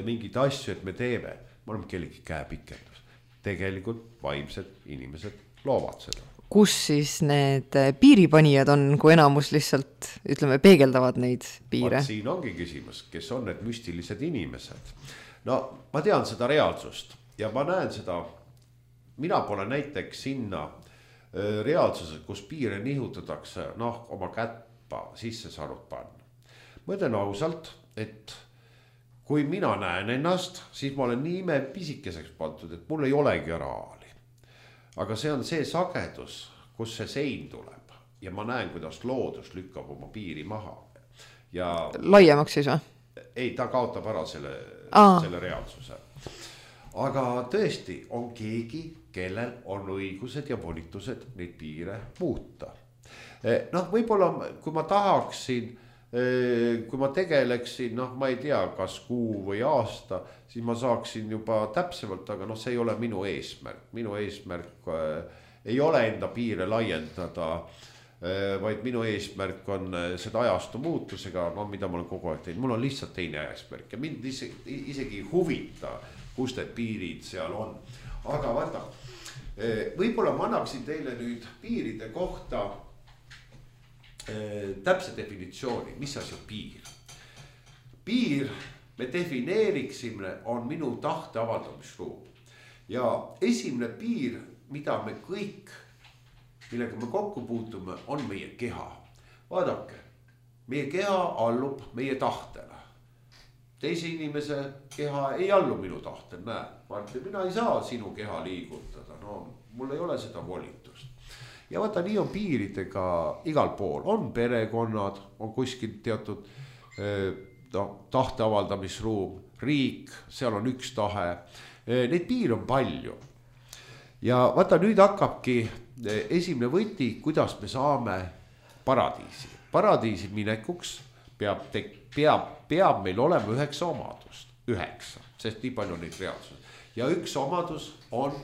mingid asju, et me teeme, me oleme kellegi käepikendus. Tegelikult vaimsed inimesed loovad seda. Kus siis need piiripanijad on, kui enamus lihtsalt, ütleme, peegeldavad neid piire? Siin ongi küsimus, kes on need müstilised inimesed. No, ma tean seda reaalsust ja ma näen seda, mina pole näiteks sinna reaalsused, kus piire nihutatakse, noh, oma kätpa sisse saanud panna. Ma ütlen ausalt, et kui mina näen ennast, siis ma olen nii pisikeseks pandud, et mul ei olegi raali. Aga see on see sagedus, kus see sein tuleb ja ma näen, kuidas loodus lükkab oma piiri maha. Ja laiemaks siis või? Ei, ta kaotab ära selle reaalsuse. Aga tõesti on keegi, kellel on õigused ja volitused neid piire muuta. Noh, võib-olla kui ma tahaksin, kui ma tegeleksin, noh, ma ei tea, kas kuu või aasta, siis ma saaksin juba täpsemalt, aga noh, see ei ole minu eesmärk. Minu eesmärk ei ole enda piire laiendada, vaid minu eesmärk on seda ajastu muutusega, no, mida ma olen kogu aeg teinud. Mul on lihtsalt teine eesmärk ja mind isegi huvita, kus need piirid seal on. Aga vaata, võib-olla ma annaksin teile nüüd piiride kohta täpse definitsiooni, mis asi on piir. Piir, me defineeriksime, on minu tahte avaldamisruum. Ja esimene piir, mida me kõik, millega me kokku puutume, on meie keha. Vaadake, meie keha allub meie tahtele. Teise inimese keha ei allu minu tahtel, näe. Mina ei saa sinu keha liigutada, no mul ei ole seda volitust. Ja vaata, nii on piiridega igal pool. On perekonnad, on kuskil teatud tahte avaldamisruum, riik, seal on üks tahe. Neid piir on palju. Ja vaata, nüüd hakkabki esimene võti, kuidas me saame Paradiisi minekuks peab meil olema 9 omadust. 9, sest nii palju on neid reaalsus. Ja üks omadus on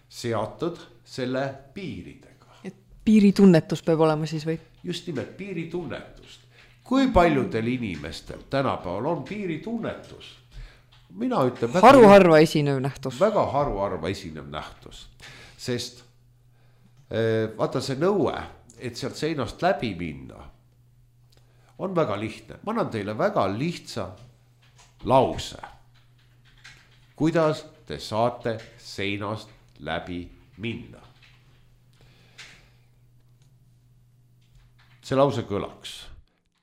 seatud selle piiridega. Et piiritunnetus peab olema siis või? Just nimelt piiritunnetust. Kui paljudel inimestel tänapäeval on piiritunnetus? Mina ütlen haruharva esinev nähtus. Väga haruharva esinev nähtus. Sest vaata see nõue, et sealt seinast läbi minna, on väga lihtne. Ma annan teile väga lihtsa lause. Kuidas te saate seinast läbi minna? See lause kõlaks.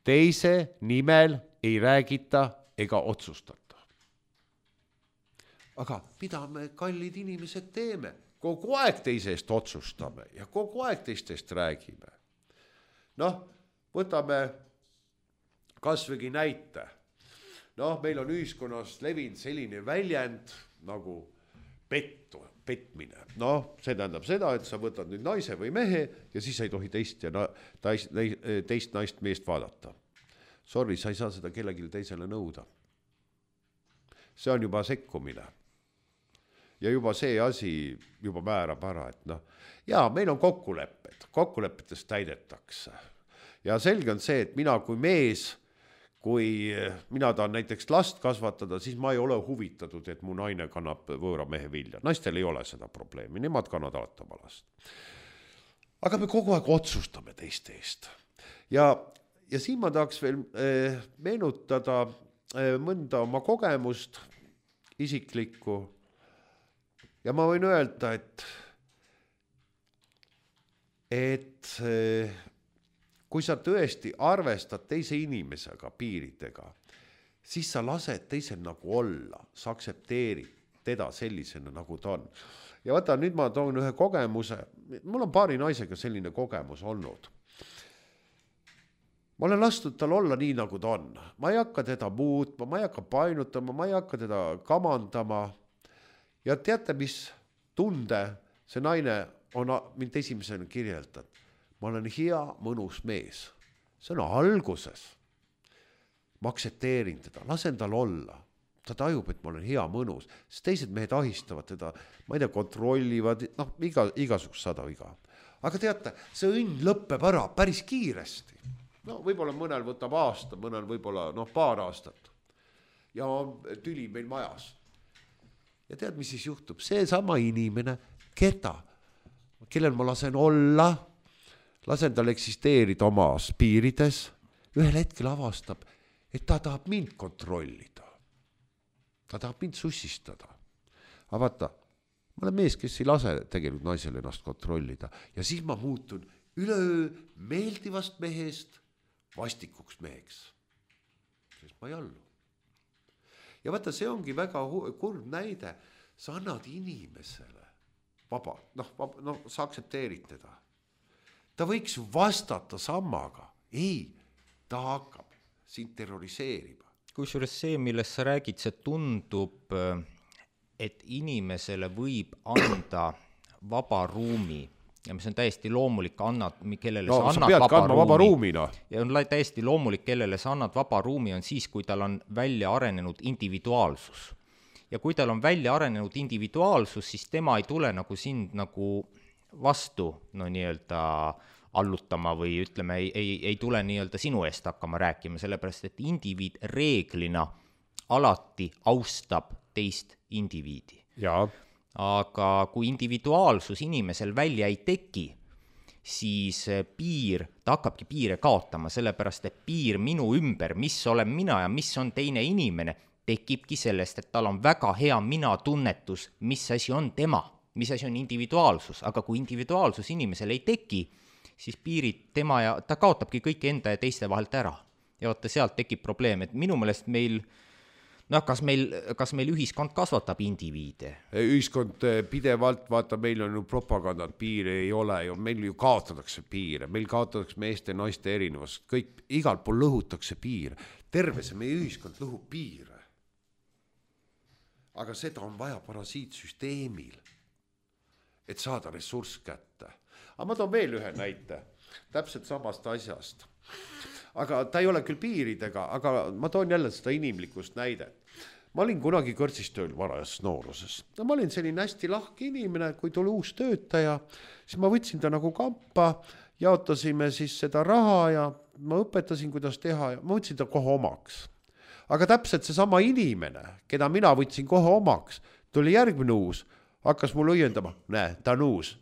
Teise nimel ei räägita ega otsustata. Aga mida me kallid inimesed teeme? Kogu aeg teisest otsustame ja kogu aeg teistest räägime. Noh, võtame kasvõi näite. Noh, meil on ühiskonnas levinud selline väljend nagu petmine. Noh, see tähendab seda, et sa võtad nüüd naise või mehe ja siis ei tohi teist naist meest vaadata. Sorry, sa ei saa seda kellelegi teisele nõuda. See on juba sekkumine. Ja juba see asi juba määrab ära, et noh, jaa, meil on kokkulepetest täidetakse. Ja selge on see, et mina kui mees, kui mina tahan näiteks last kasvatada, siis ma ei ole huvitatud, et mu naine kannab võõra mehe vilja. Naistel ei ole seda probleemi, nemad kannavad alati oma last. Aga me kogu aeg otsustame teiste eest. Ja siin ma tahaks veel meenutada mõnda oma kogemust isiklikku. Ja ma võin öelda, et kui sa tõesti arvestad teise inimesega piiridega, siis sa lased teisel nagu olla, sa aksepteerid teda sellisena, nagu ta on. Ja vaata, nüüd ma toon ühe kogemuse, mul on paari naisega selline kogemus olnud. Ma olen lastud tal olla nii, nagu ta on. Ma ei hakka teda muutma, ma ei hakka painutama, ma ei hakka teda kamandama. Ja teate, mis tunde see naine on mind esimesena kirjeldanud? Ma olen hea, mõnus mees. See on alguses. Ma aksepteerin teda, lasen tal olla. Ta tajub, et ma olen hea, mõnus. Sest teised mehed ahistavad teda, ma ei tea, kontrollivad, noh, igasugust 100 viga. Aga teate, see õnn lõppeb ära päris kiiresti. No võib-olla mõnel võtab aasta, mõnel võib-olla paar aastat. Ja tüli meil majas. Ja tead, mis siis juhtub? See sama inimene, kellel ma lasen olla, lasen tal eksisteerida omas piirides, ühel hetkel avastab, et ta tahab mind kontrollida. Ta tahab mind sussistada. Aga vaata, ma olen mees, kes ei lase tegelikult naisel ennast kontrollida. Ja siis ma muutun üleöö meeldivast mehest vastikuks meheks. Sest ma ei allu. Ja vaata, see ongi väga kurb näide. Sa annad inimesele vaba, sa aksepteerid teda. Ta võiks ju vastata samaga. Ei, ta hakkab sind terroriseerima. Kusjuures see, millest sa räägid, see tundub, et inimesele võib anda vaba ruumi. Ja mis on täiesti loomulik, kellele sa annad vaba ruumi. Ja on täiesti loomulik, kellele sa annad vaba ruumi, on siis, kui tal on välja arenenud individuaalsus. Ja kui tal on välja arenenud individuaalsus, siis tema ei tule nagu sind nagu vastu, nii-öelda allutama või ütleme, ei tule nii-öelda sinu eest hakkama rääkima, sellepärast, et indiviid reeglina alati austab teist indiviidi. Jaa. Aga kui individuaalsus inimesel välja ei teki, siis ta hakkabki piire kaotama, sellepärast et piir minu ümber, mis olen mina ja mis on teine inimene, tekibki sellest, et tal on väga hea mina-tunnetus, mis asi on tema, mis asi on individuaalsus, aga kui individuaalsus inimesel ei teki, siis piirid tema ja ta kaotabki kõik enda ja teiste vahelt ära. Ja vaata, sealt tekib probleem, et minu meelest kas meil ühiskond kasvatab indiviide? Ühiskond pidevalt, vaata, meil on ju propagandat, piire ei ole ju, meil ju kaotatakse piire, meil kaotatakse meeste ja naiste erinevus, kõik igal pool lõhutakse piire, terve see meie ühiskond lõhub piire. Aga seda on vaja parasiitsüsteemil, et saada ressurss kätte. Aga ma toon veel ühe näite. täpselt samast asjast. Aga ta ei ole küll piiridega, aga ma toon jälle seda inimlikust näidet. Ma olin kunagi kõrtsistööl varajas nooruses. Ma olin selline hästi lahke inimene, kui tuli uus töötaja, siis ma võtsin ta nagu kampa, jaotasime siis seda raha ja ma õpetasin, kuidas teha ja ma võtsin ta kohe omaks. Aga täpselt seesama inimene, keda mina võtsin kohe omaks, tuli järgmine uus, hakkas mul õiendama, näe, ta on uus.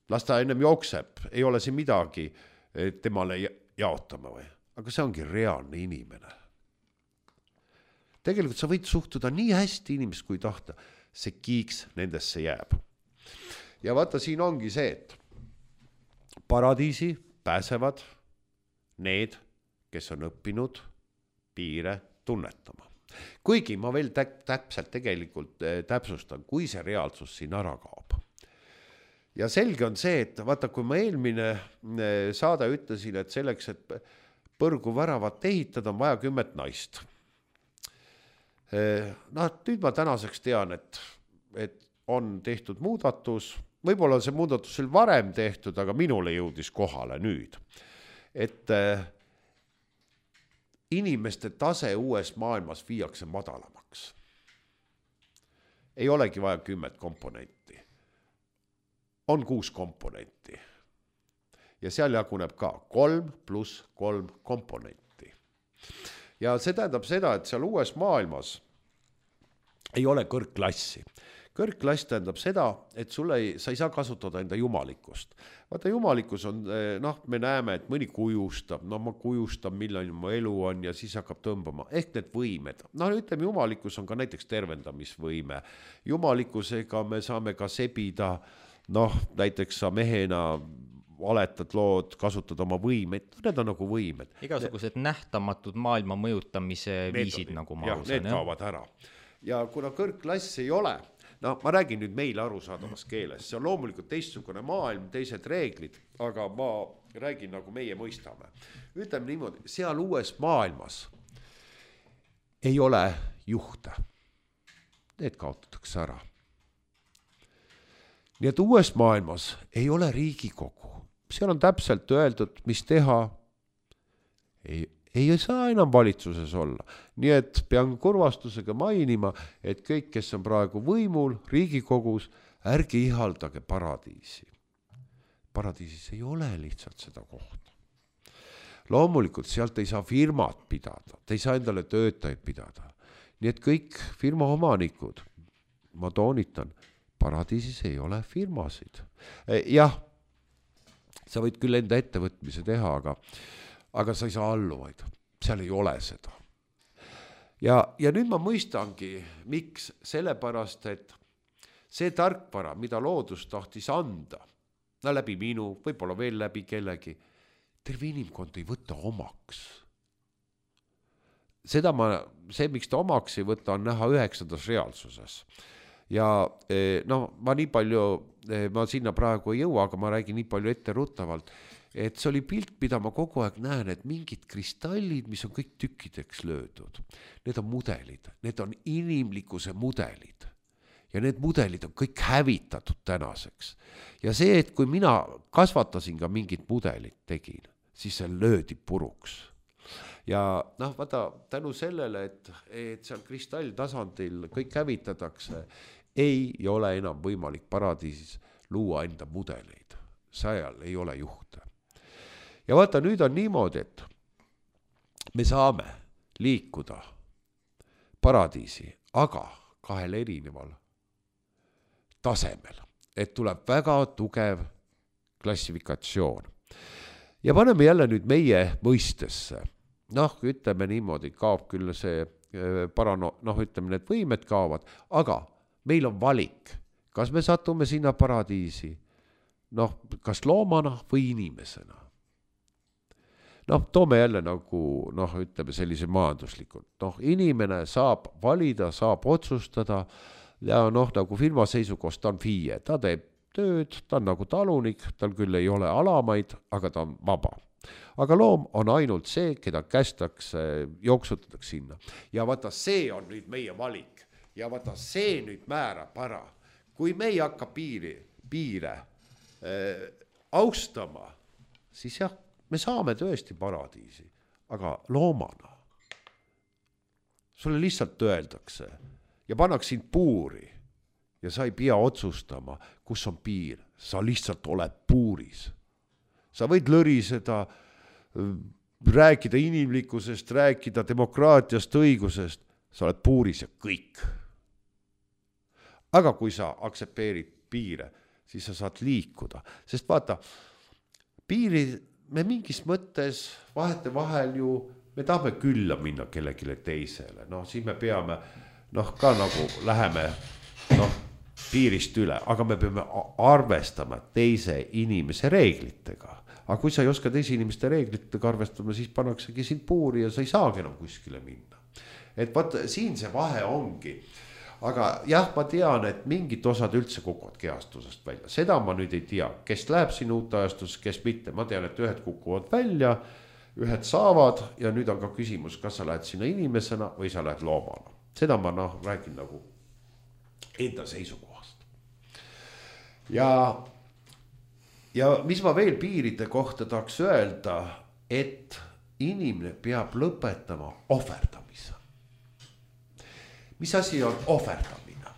Las ta ennem jookseb, ei ole siin midagi temale jaotama või. Aga see ongi reaalne inimene. Tegelikult sa võid suhtuda nii hästi inimest, kui tahta. See kiiks nendesse jääb. Ja vaata, siin ongi see, et paradiisi pääsevad need, kes on õppinud piire tunnetama. Kuigi ma veel täpselt tegelikult täpsustan, kui see reaalsus siin ära kaob. Ja selge on see, et vaata, kui ma eelmine saade ütlesin, et selleks, et põrgu väravat ehitada, on vaja 10 naist. Nüüd ma tänaseks tean, et on tehtud muudatus, võib-olla see muudatus oli varem tehtud, aga minule jõudis kohale nüüd, et inimeste tase uues maailmas viiakse madalamaks. Ei olegi vaja 10 komponenti. On 6 komponenti. Ja seal jaguneb ka 3 + 3 komponenti. Ja see tähendab seda, et seal uues maailmas ei ole kõrgklassi. Kõrgklass tähendab seda, et sa ei saa kasutada enda jumalikkust. Vaata, jumalikkus on, me näeme, et mõni kujustab, ma kujustan, milline mu elu on ja siis hakkab tõmbama. Ehk need võimed. Ütleme, jumalikkus on ka näiteks tervendamisvõime. Jumalikkusega me saame ka sebida, näiteks sa mehena valetad lood, kasutad oma võimed, need on nagu võimed. Igasugused nähtamatud maailma mõjutamise viisid, nagu ma aru saan. Need kaovad ära. Ja kuna kõrgklass ei ole, ma räägin nüüd meile arusaadavas keeles, see on loomulikult teistsugune maailm, teised reeglid, aga ma räägin nagu meie mõistame. Ütleme niimoodi, seal uues maailmas ei ole juhte. Need kaotatakse ära. Nii et uues maailmas ei ole Riigikogu. Seal on täpselt öeldud, mis teha. Ei saa enam valitsuses olla. Nii et pean kurvastusega mainima, et kõik, kes on praegu võimul Riigikogus, ärge ihaldage paradiisi. Paradiisis ei ole lihtsalt seda kohta. Loomulikult sealt ei saa firmat pidada, te ei saa endale töötajaid pidada. Nii et kõik firma omanikud, ma toonitan, paradiisis ei ole firmasid. Jah, sa võid küll enda ettevõtmise teha, aga sa ei saa alluvaid. Seal ei ole seda. Ja nüüd ma mõistangi, miks, sellepärast, et see tarkvara, mida loodus tahtis anda, läbi minu, võib-olla veel läbi kellegi, terve inimkond ei võta omaks. See, miks ta omaks ei võta, on näha 9. reaalsuses. Ja ma nii palju, ma sinna praegu ei jõua, aga ma räägin nii palju etteruttavalt, et see oli pilt, mida ma kogu aeg näen, et mingid kristallid, mis on kõik tükkideks löödud. Need on mudelid, need on inimlikkuse mudelid. Ja need mudelid on kõik hävitatud tänaseks. Ja see, et kui mina kasvatasin ka mingit mudelit tegin, siis see löödi puruks. Ja vaata, tänu sellele, et seal kristall tasandil kõik hävitatakse, ei ole enam võimalik paradiisis luua enda mudeleid. Seal ei ole juhte. Ja vaata, nüüd on niimoodi, et me saame liikuda paradiisi, aga 2 erineval tasemel, et tuleb väga tugev klassifikatsioon. Ja paneme jälle nüüd meie mõistesse. Ütleme niimoodi, kaob küll see ütleme, need võimed kaovad, aga meil on valik, kas me satume sinna paradiisi, kas loomana või inimesena. Toome jälle nagu, ütleme sellise majanduslikult. Inimene saab valida, saab otsustada ja nagu firma seisukohast ta on FIE, ta teeb tööd, ta on nagu talunik, tal küll ei ole alamaid, aga ta on vaba. Aga loom on ainult see, keda kästakse, jooksutatakse sinna. Ja vaata, see on nüüd meie valik. Ja vaata, see nüüd määrab ära. Kui me ei hakka piire austama, siis jah, me saame tõesti paradiisi, aga loomana. Sulle lihtsalt öeldakse ja pannakse sind puuri ja sa ei pea otsustama, kus on piir. Sa lihtsalt oled puuris. Sa võid lõriseda, rääkida inimlikkusest, rääkida demokraatiast, õigusest. Sa oled puuris ja kõik. Aga kui sa aksepteerid piire, siis sa saad liikuda. Sest vaata, piiri me mingis mõttes vahetevahel ju, me tahame külla minna kellegile teisele. Siis me peame, ka nagu läheme piirist üle, aga me peame arvestama teise inimese reeglitega. Aga kui sa ei oska teise inimeste reeglitega arvestama, siis pannaksegi sind puuri ja sa ei saagi enam kuskile minna. Et vaata, siin see vahe ongi. Aga jah, ma tean, et mingid osad üldse kukuvad kehastusest välja. Seda ma nüüd ei tea, kes läheb siin uute ajastus, kes mitte. Ma tean, et ühed kukuvad välja, ühed saavad ja nüüd on ka küsimus, kas sa lähed sinna inimesena või sa lähed loomana. Seda ma räägin nagu enda seisukohast. Ja mis ma veel piiride kohta tahaks öelda, et inimene peab lõpetama ohverdamise. Mis asi on ohverdamine?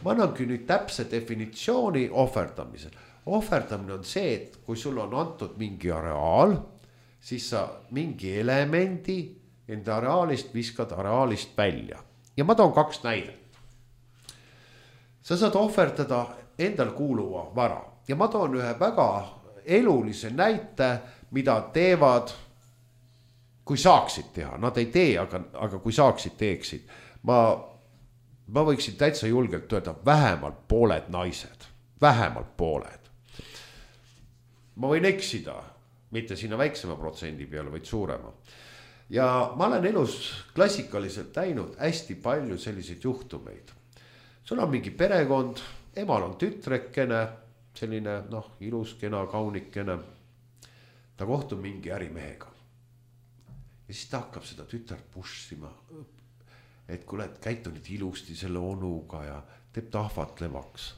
Ma annangi nüüd täpse definitsiooni ohverdamisel. Ohverdamine on see, et kui sul on antud mingi areaal, siis sa mingi elemendi enda areaalist viskad areaalist välja. Ja ma toon 2 näidet. Sa saad ohverdada endal kuuluva vara. Ja ma toon ühe väga elulise näite, mida teevad, kui saaksid teha. Nad ei tee, aga kui saaksid, teeksid. Ma võiksin täitsa julgelt öelda vähemalt pooled naised. Vähemalt pooled. Ma võin eksida, mitte sinna väiksema protsendi peale, vaid suurema. Ja ma olen elus klassikaliselt näinud hästi palju selliseid juhtumeid. Sul on mingi perekond, emal on tütrekene, selline ilus, kena, kaunikene. Ta kohtub mingi ärimehega. Ja siis ta hakkab seda tütart pushima. Et kui oled käitunud ilusti selle onuga ja teeb ta ahvatlevaks.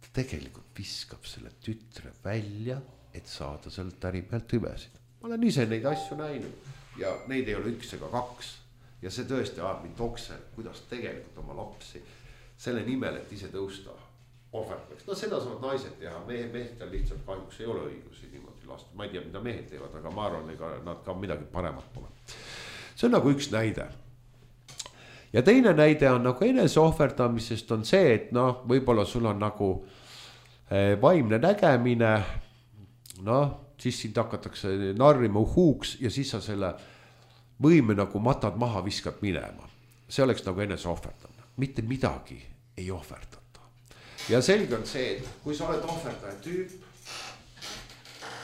Ta tegelikult viskab selle tütre välja, et saada sellelt ärimehelt hüvesid. Ma olen ise neid asju näinud ja neid ei ole 1 ega 2. Ja see tõesti ajab mind okse, kuidas tegelikult oma lapsi selle nimel, et ise tõusta ohverdaks. Seda saavad naised teha, meestel lihtsalt kahjuks ei ole õigusi niimoodi lasta. Ma ei tea, mida mehed teevad, aga ma arvan, ega nad ka midagi paremat pole. See on nagu üks näide. Ja teine näide on nagu enese ohverdamisest on see, et võib-olla sul on nagu vaimne nägemine, siis sind hakatakse narrima huuks ja siis sa selle võime nagu matad maha, viskad minema. See oleks nagu enese ohverdamine. Mitte midagi ei ohverdata. Ja selge on see, et kui sa oled ohverdaja tüüp,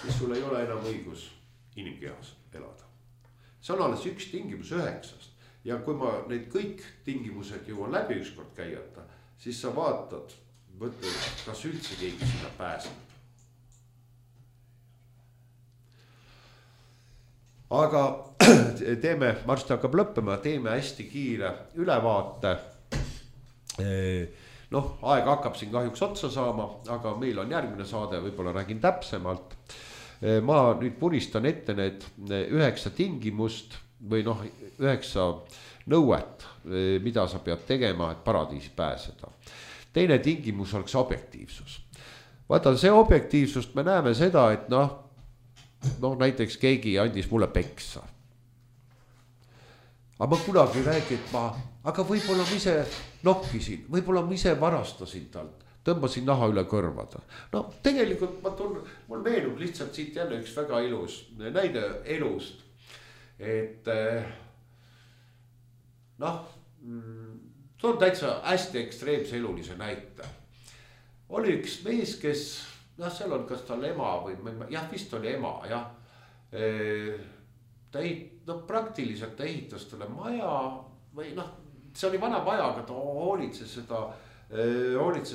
siis sul ei ole enam õigus inimkehas elada. See on alles 1 tingimus 9. Ja kui ma need kõik tingimused jõuan läbi ükskord käiata, siis sa vaatad, kas üldse keegi sinna pääseb. Aga teeme, varsti hakkab lõppema, teeme hästi kiire ülevaate. Aeg hakkab siin kahjuks otsa saama, aga meil on järgmine saade, võib-olla räägin täpsemalt. Ma nüüd puristan ette need 9 tingimust või 9 nõuet, mida sa pead tegema, et paradiisi pääseda. Teine tingimus oleks objektiivsus. Vaata, see objektiivsust me näeme seda, et näiteks keegi andis mulle peksa. Aga ma kunagi räägin, et aga võib-olla ma ise nokkisin, võib-olla ma ise varastasin talt, tõmbasin naha üle kõrvada. Tegelikult mul meenub lihtsalt siit jälle üks väga ilus näide elust. Et toon täitsa hästi ekstreemse elulise näite. Oli üks mees, kes, seal on kas tal ema või, vist oli ema, praktiliselt ta ehitas talle maja või see oli vana maja, aga ta hoolitses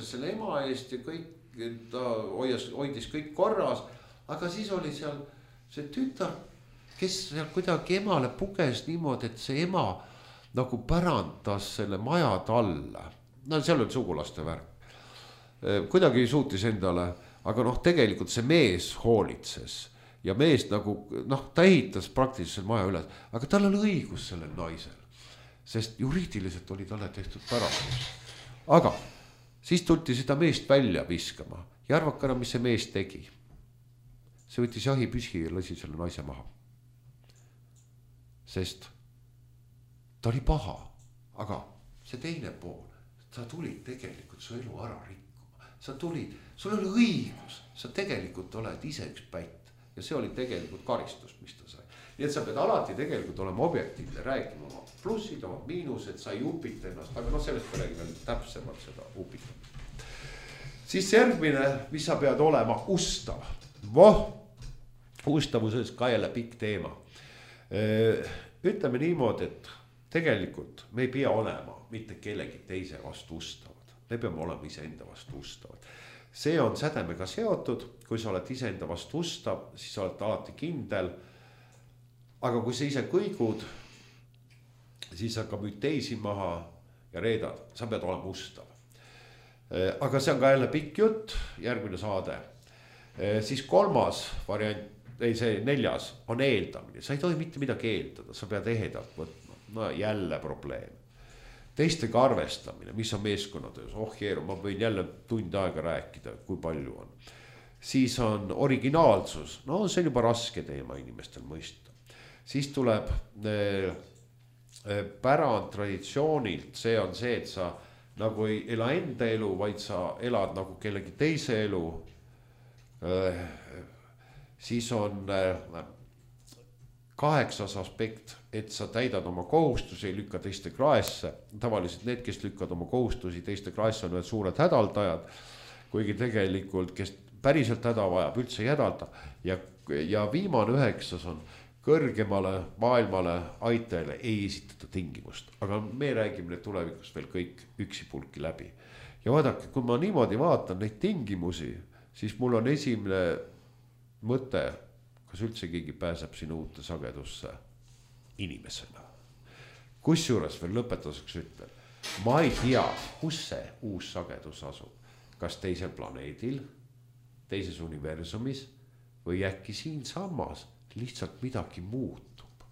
selle ema eest ja kõik, ta hoidis kõik korras, aga siis oli seal see tütar, kes seal kuidagi emale puges niimoodi, et see ema nagu pärandas selle maja talle. Seal oli sugulaste värk. Kuidagi suutis endale, aga tegelikult see mees hoolitses ja mees nagu ta ehitas praktiliselt maja üles, aga tal oli õigus sellel naisel, sest juriidiliselt oli talle tehtud pärastus. Aga siis tulti seda meest välja viskama ja arvake ära, mis see mees tegi. See võttis jahipüsi ja lasi selle naise maha. Sest ta oli paha, aga see teine pool, sa tulid tegelikult su elu ära rikkuma. Sa tulid, sul oli õigus, sa tegelikult oled ise üks pätt ja see oli tegelikult karistus, mis ta sai. Nii et sa pead alati tegelikult olema objektiivne, räägima oma plussid, oma miinused, sa ei upita ennast, aga sellest me räägime täpsemalt seda upitamist. Siis järgmine, mis sa pead olema ustav. Ustavuses ka jälle pikk teema. Ütleme niimoodi, et tegelikult me ei pea olema mitte kellegi teise vastu ustavad. Me peame olema iseenda vastu ustavad. See on sädemega seotud, kui sa oled iseenda vastu ustav, siis sa oled alati kindel. Aga kui sa ise kõigud, siis hakkab nüüd teisi maha ja reedad, sa pead olema ustav. Aga see on ka jälle pikk jutt, järgmine saade. Siis kolmas variant, see neljas on eeldamine. Sa ei tohi mitte midagi eeldada, sa pead ehedalt võtma. No jälle probleem. Teistega arvestamine, mis on meeskonnatöös. Jeeru, ma võin jälle tund aega rääkida, kui palju on. Siis on originaalsus. No see on juba raske teema inimestel mõista. Siis tuleb pärand traditsioonilt. See on see, et sa nagu ei ela enda elu, vaid sa elad nagu kellegi teise elu. Siis on 8. aspekt, et sa täidad oma kohustusi, ei lükka teiste kraesse. Tavaliselt need, kes lükkad oma kohustusi teiste kraesse, on need suured hädaldajad, kuigi tegelikult, kes päriselt häda vajab, üldse ei hädalda. Ja viimane 9 on kõrgemale maailmale aitajale ei esitata tingimust. Aga me räägime need tulevikus veel kõik üksipulki läbi. Ja vaadake, kui ma niimoodi vaatan neid tingimusi, siis mul on esimene mõte, kas üldse keegi pääseb sinna uute sagedusse inimesena. Kusjuures veel lõpetuseks ütlen, ma ei tea, kus see uus sagedus asub. Kas teisel planeedil, teises universumis või äkki siin sammas lihtsalt midagi muutub.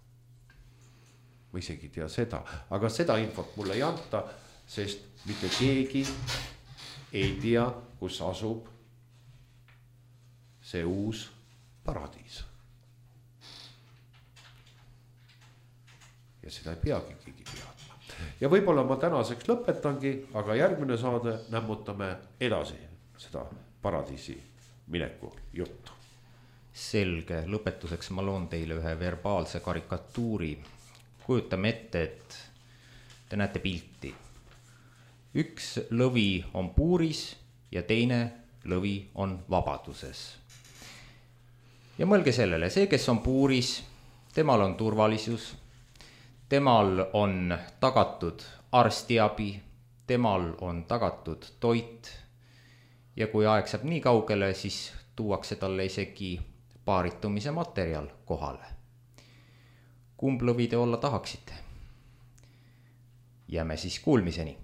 Ma isegi tea seda, aga seda infot mulle ei anta, sest mitte keegi ei tea, kus asub see uus paradiis. Ja seda ei peagi keegi teadma. Ja võib-olla ma tänaseks lõpetangi, aga järgmine saade nämmutame edasi seda paradiisi mineku juttu. Selge, lõpetuseks ma loon teile ühe verbaalse karikatuuri. Kujutame ette, et te näete pilti. Üks lõvi on puuris ja teine lõvi on vabaduses. Ja mõelge sellele, see, kes on puuris, temal on turvalisus, temal on tagatud arstiabi, temal on tagatud toit ja kui aeg saab nii kaugele, siis tuuakse talle isegi paaritumise materjal kohale. Kumb lõvi te olla tahaksite? Jääme siis kuulmiseni.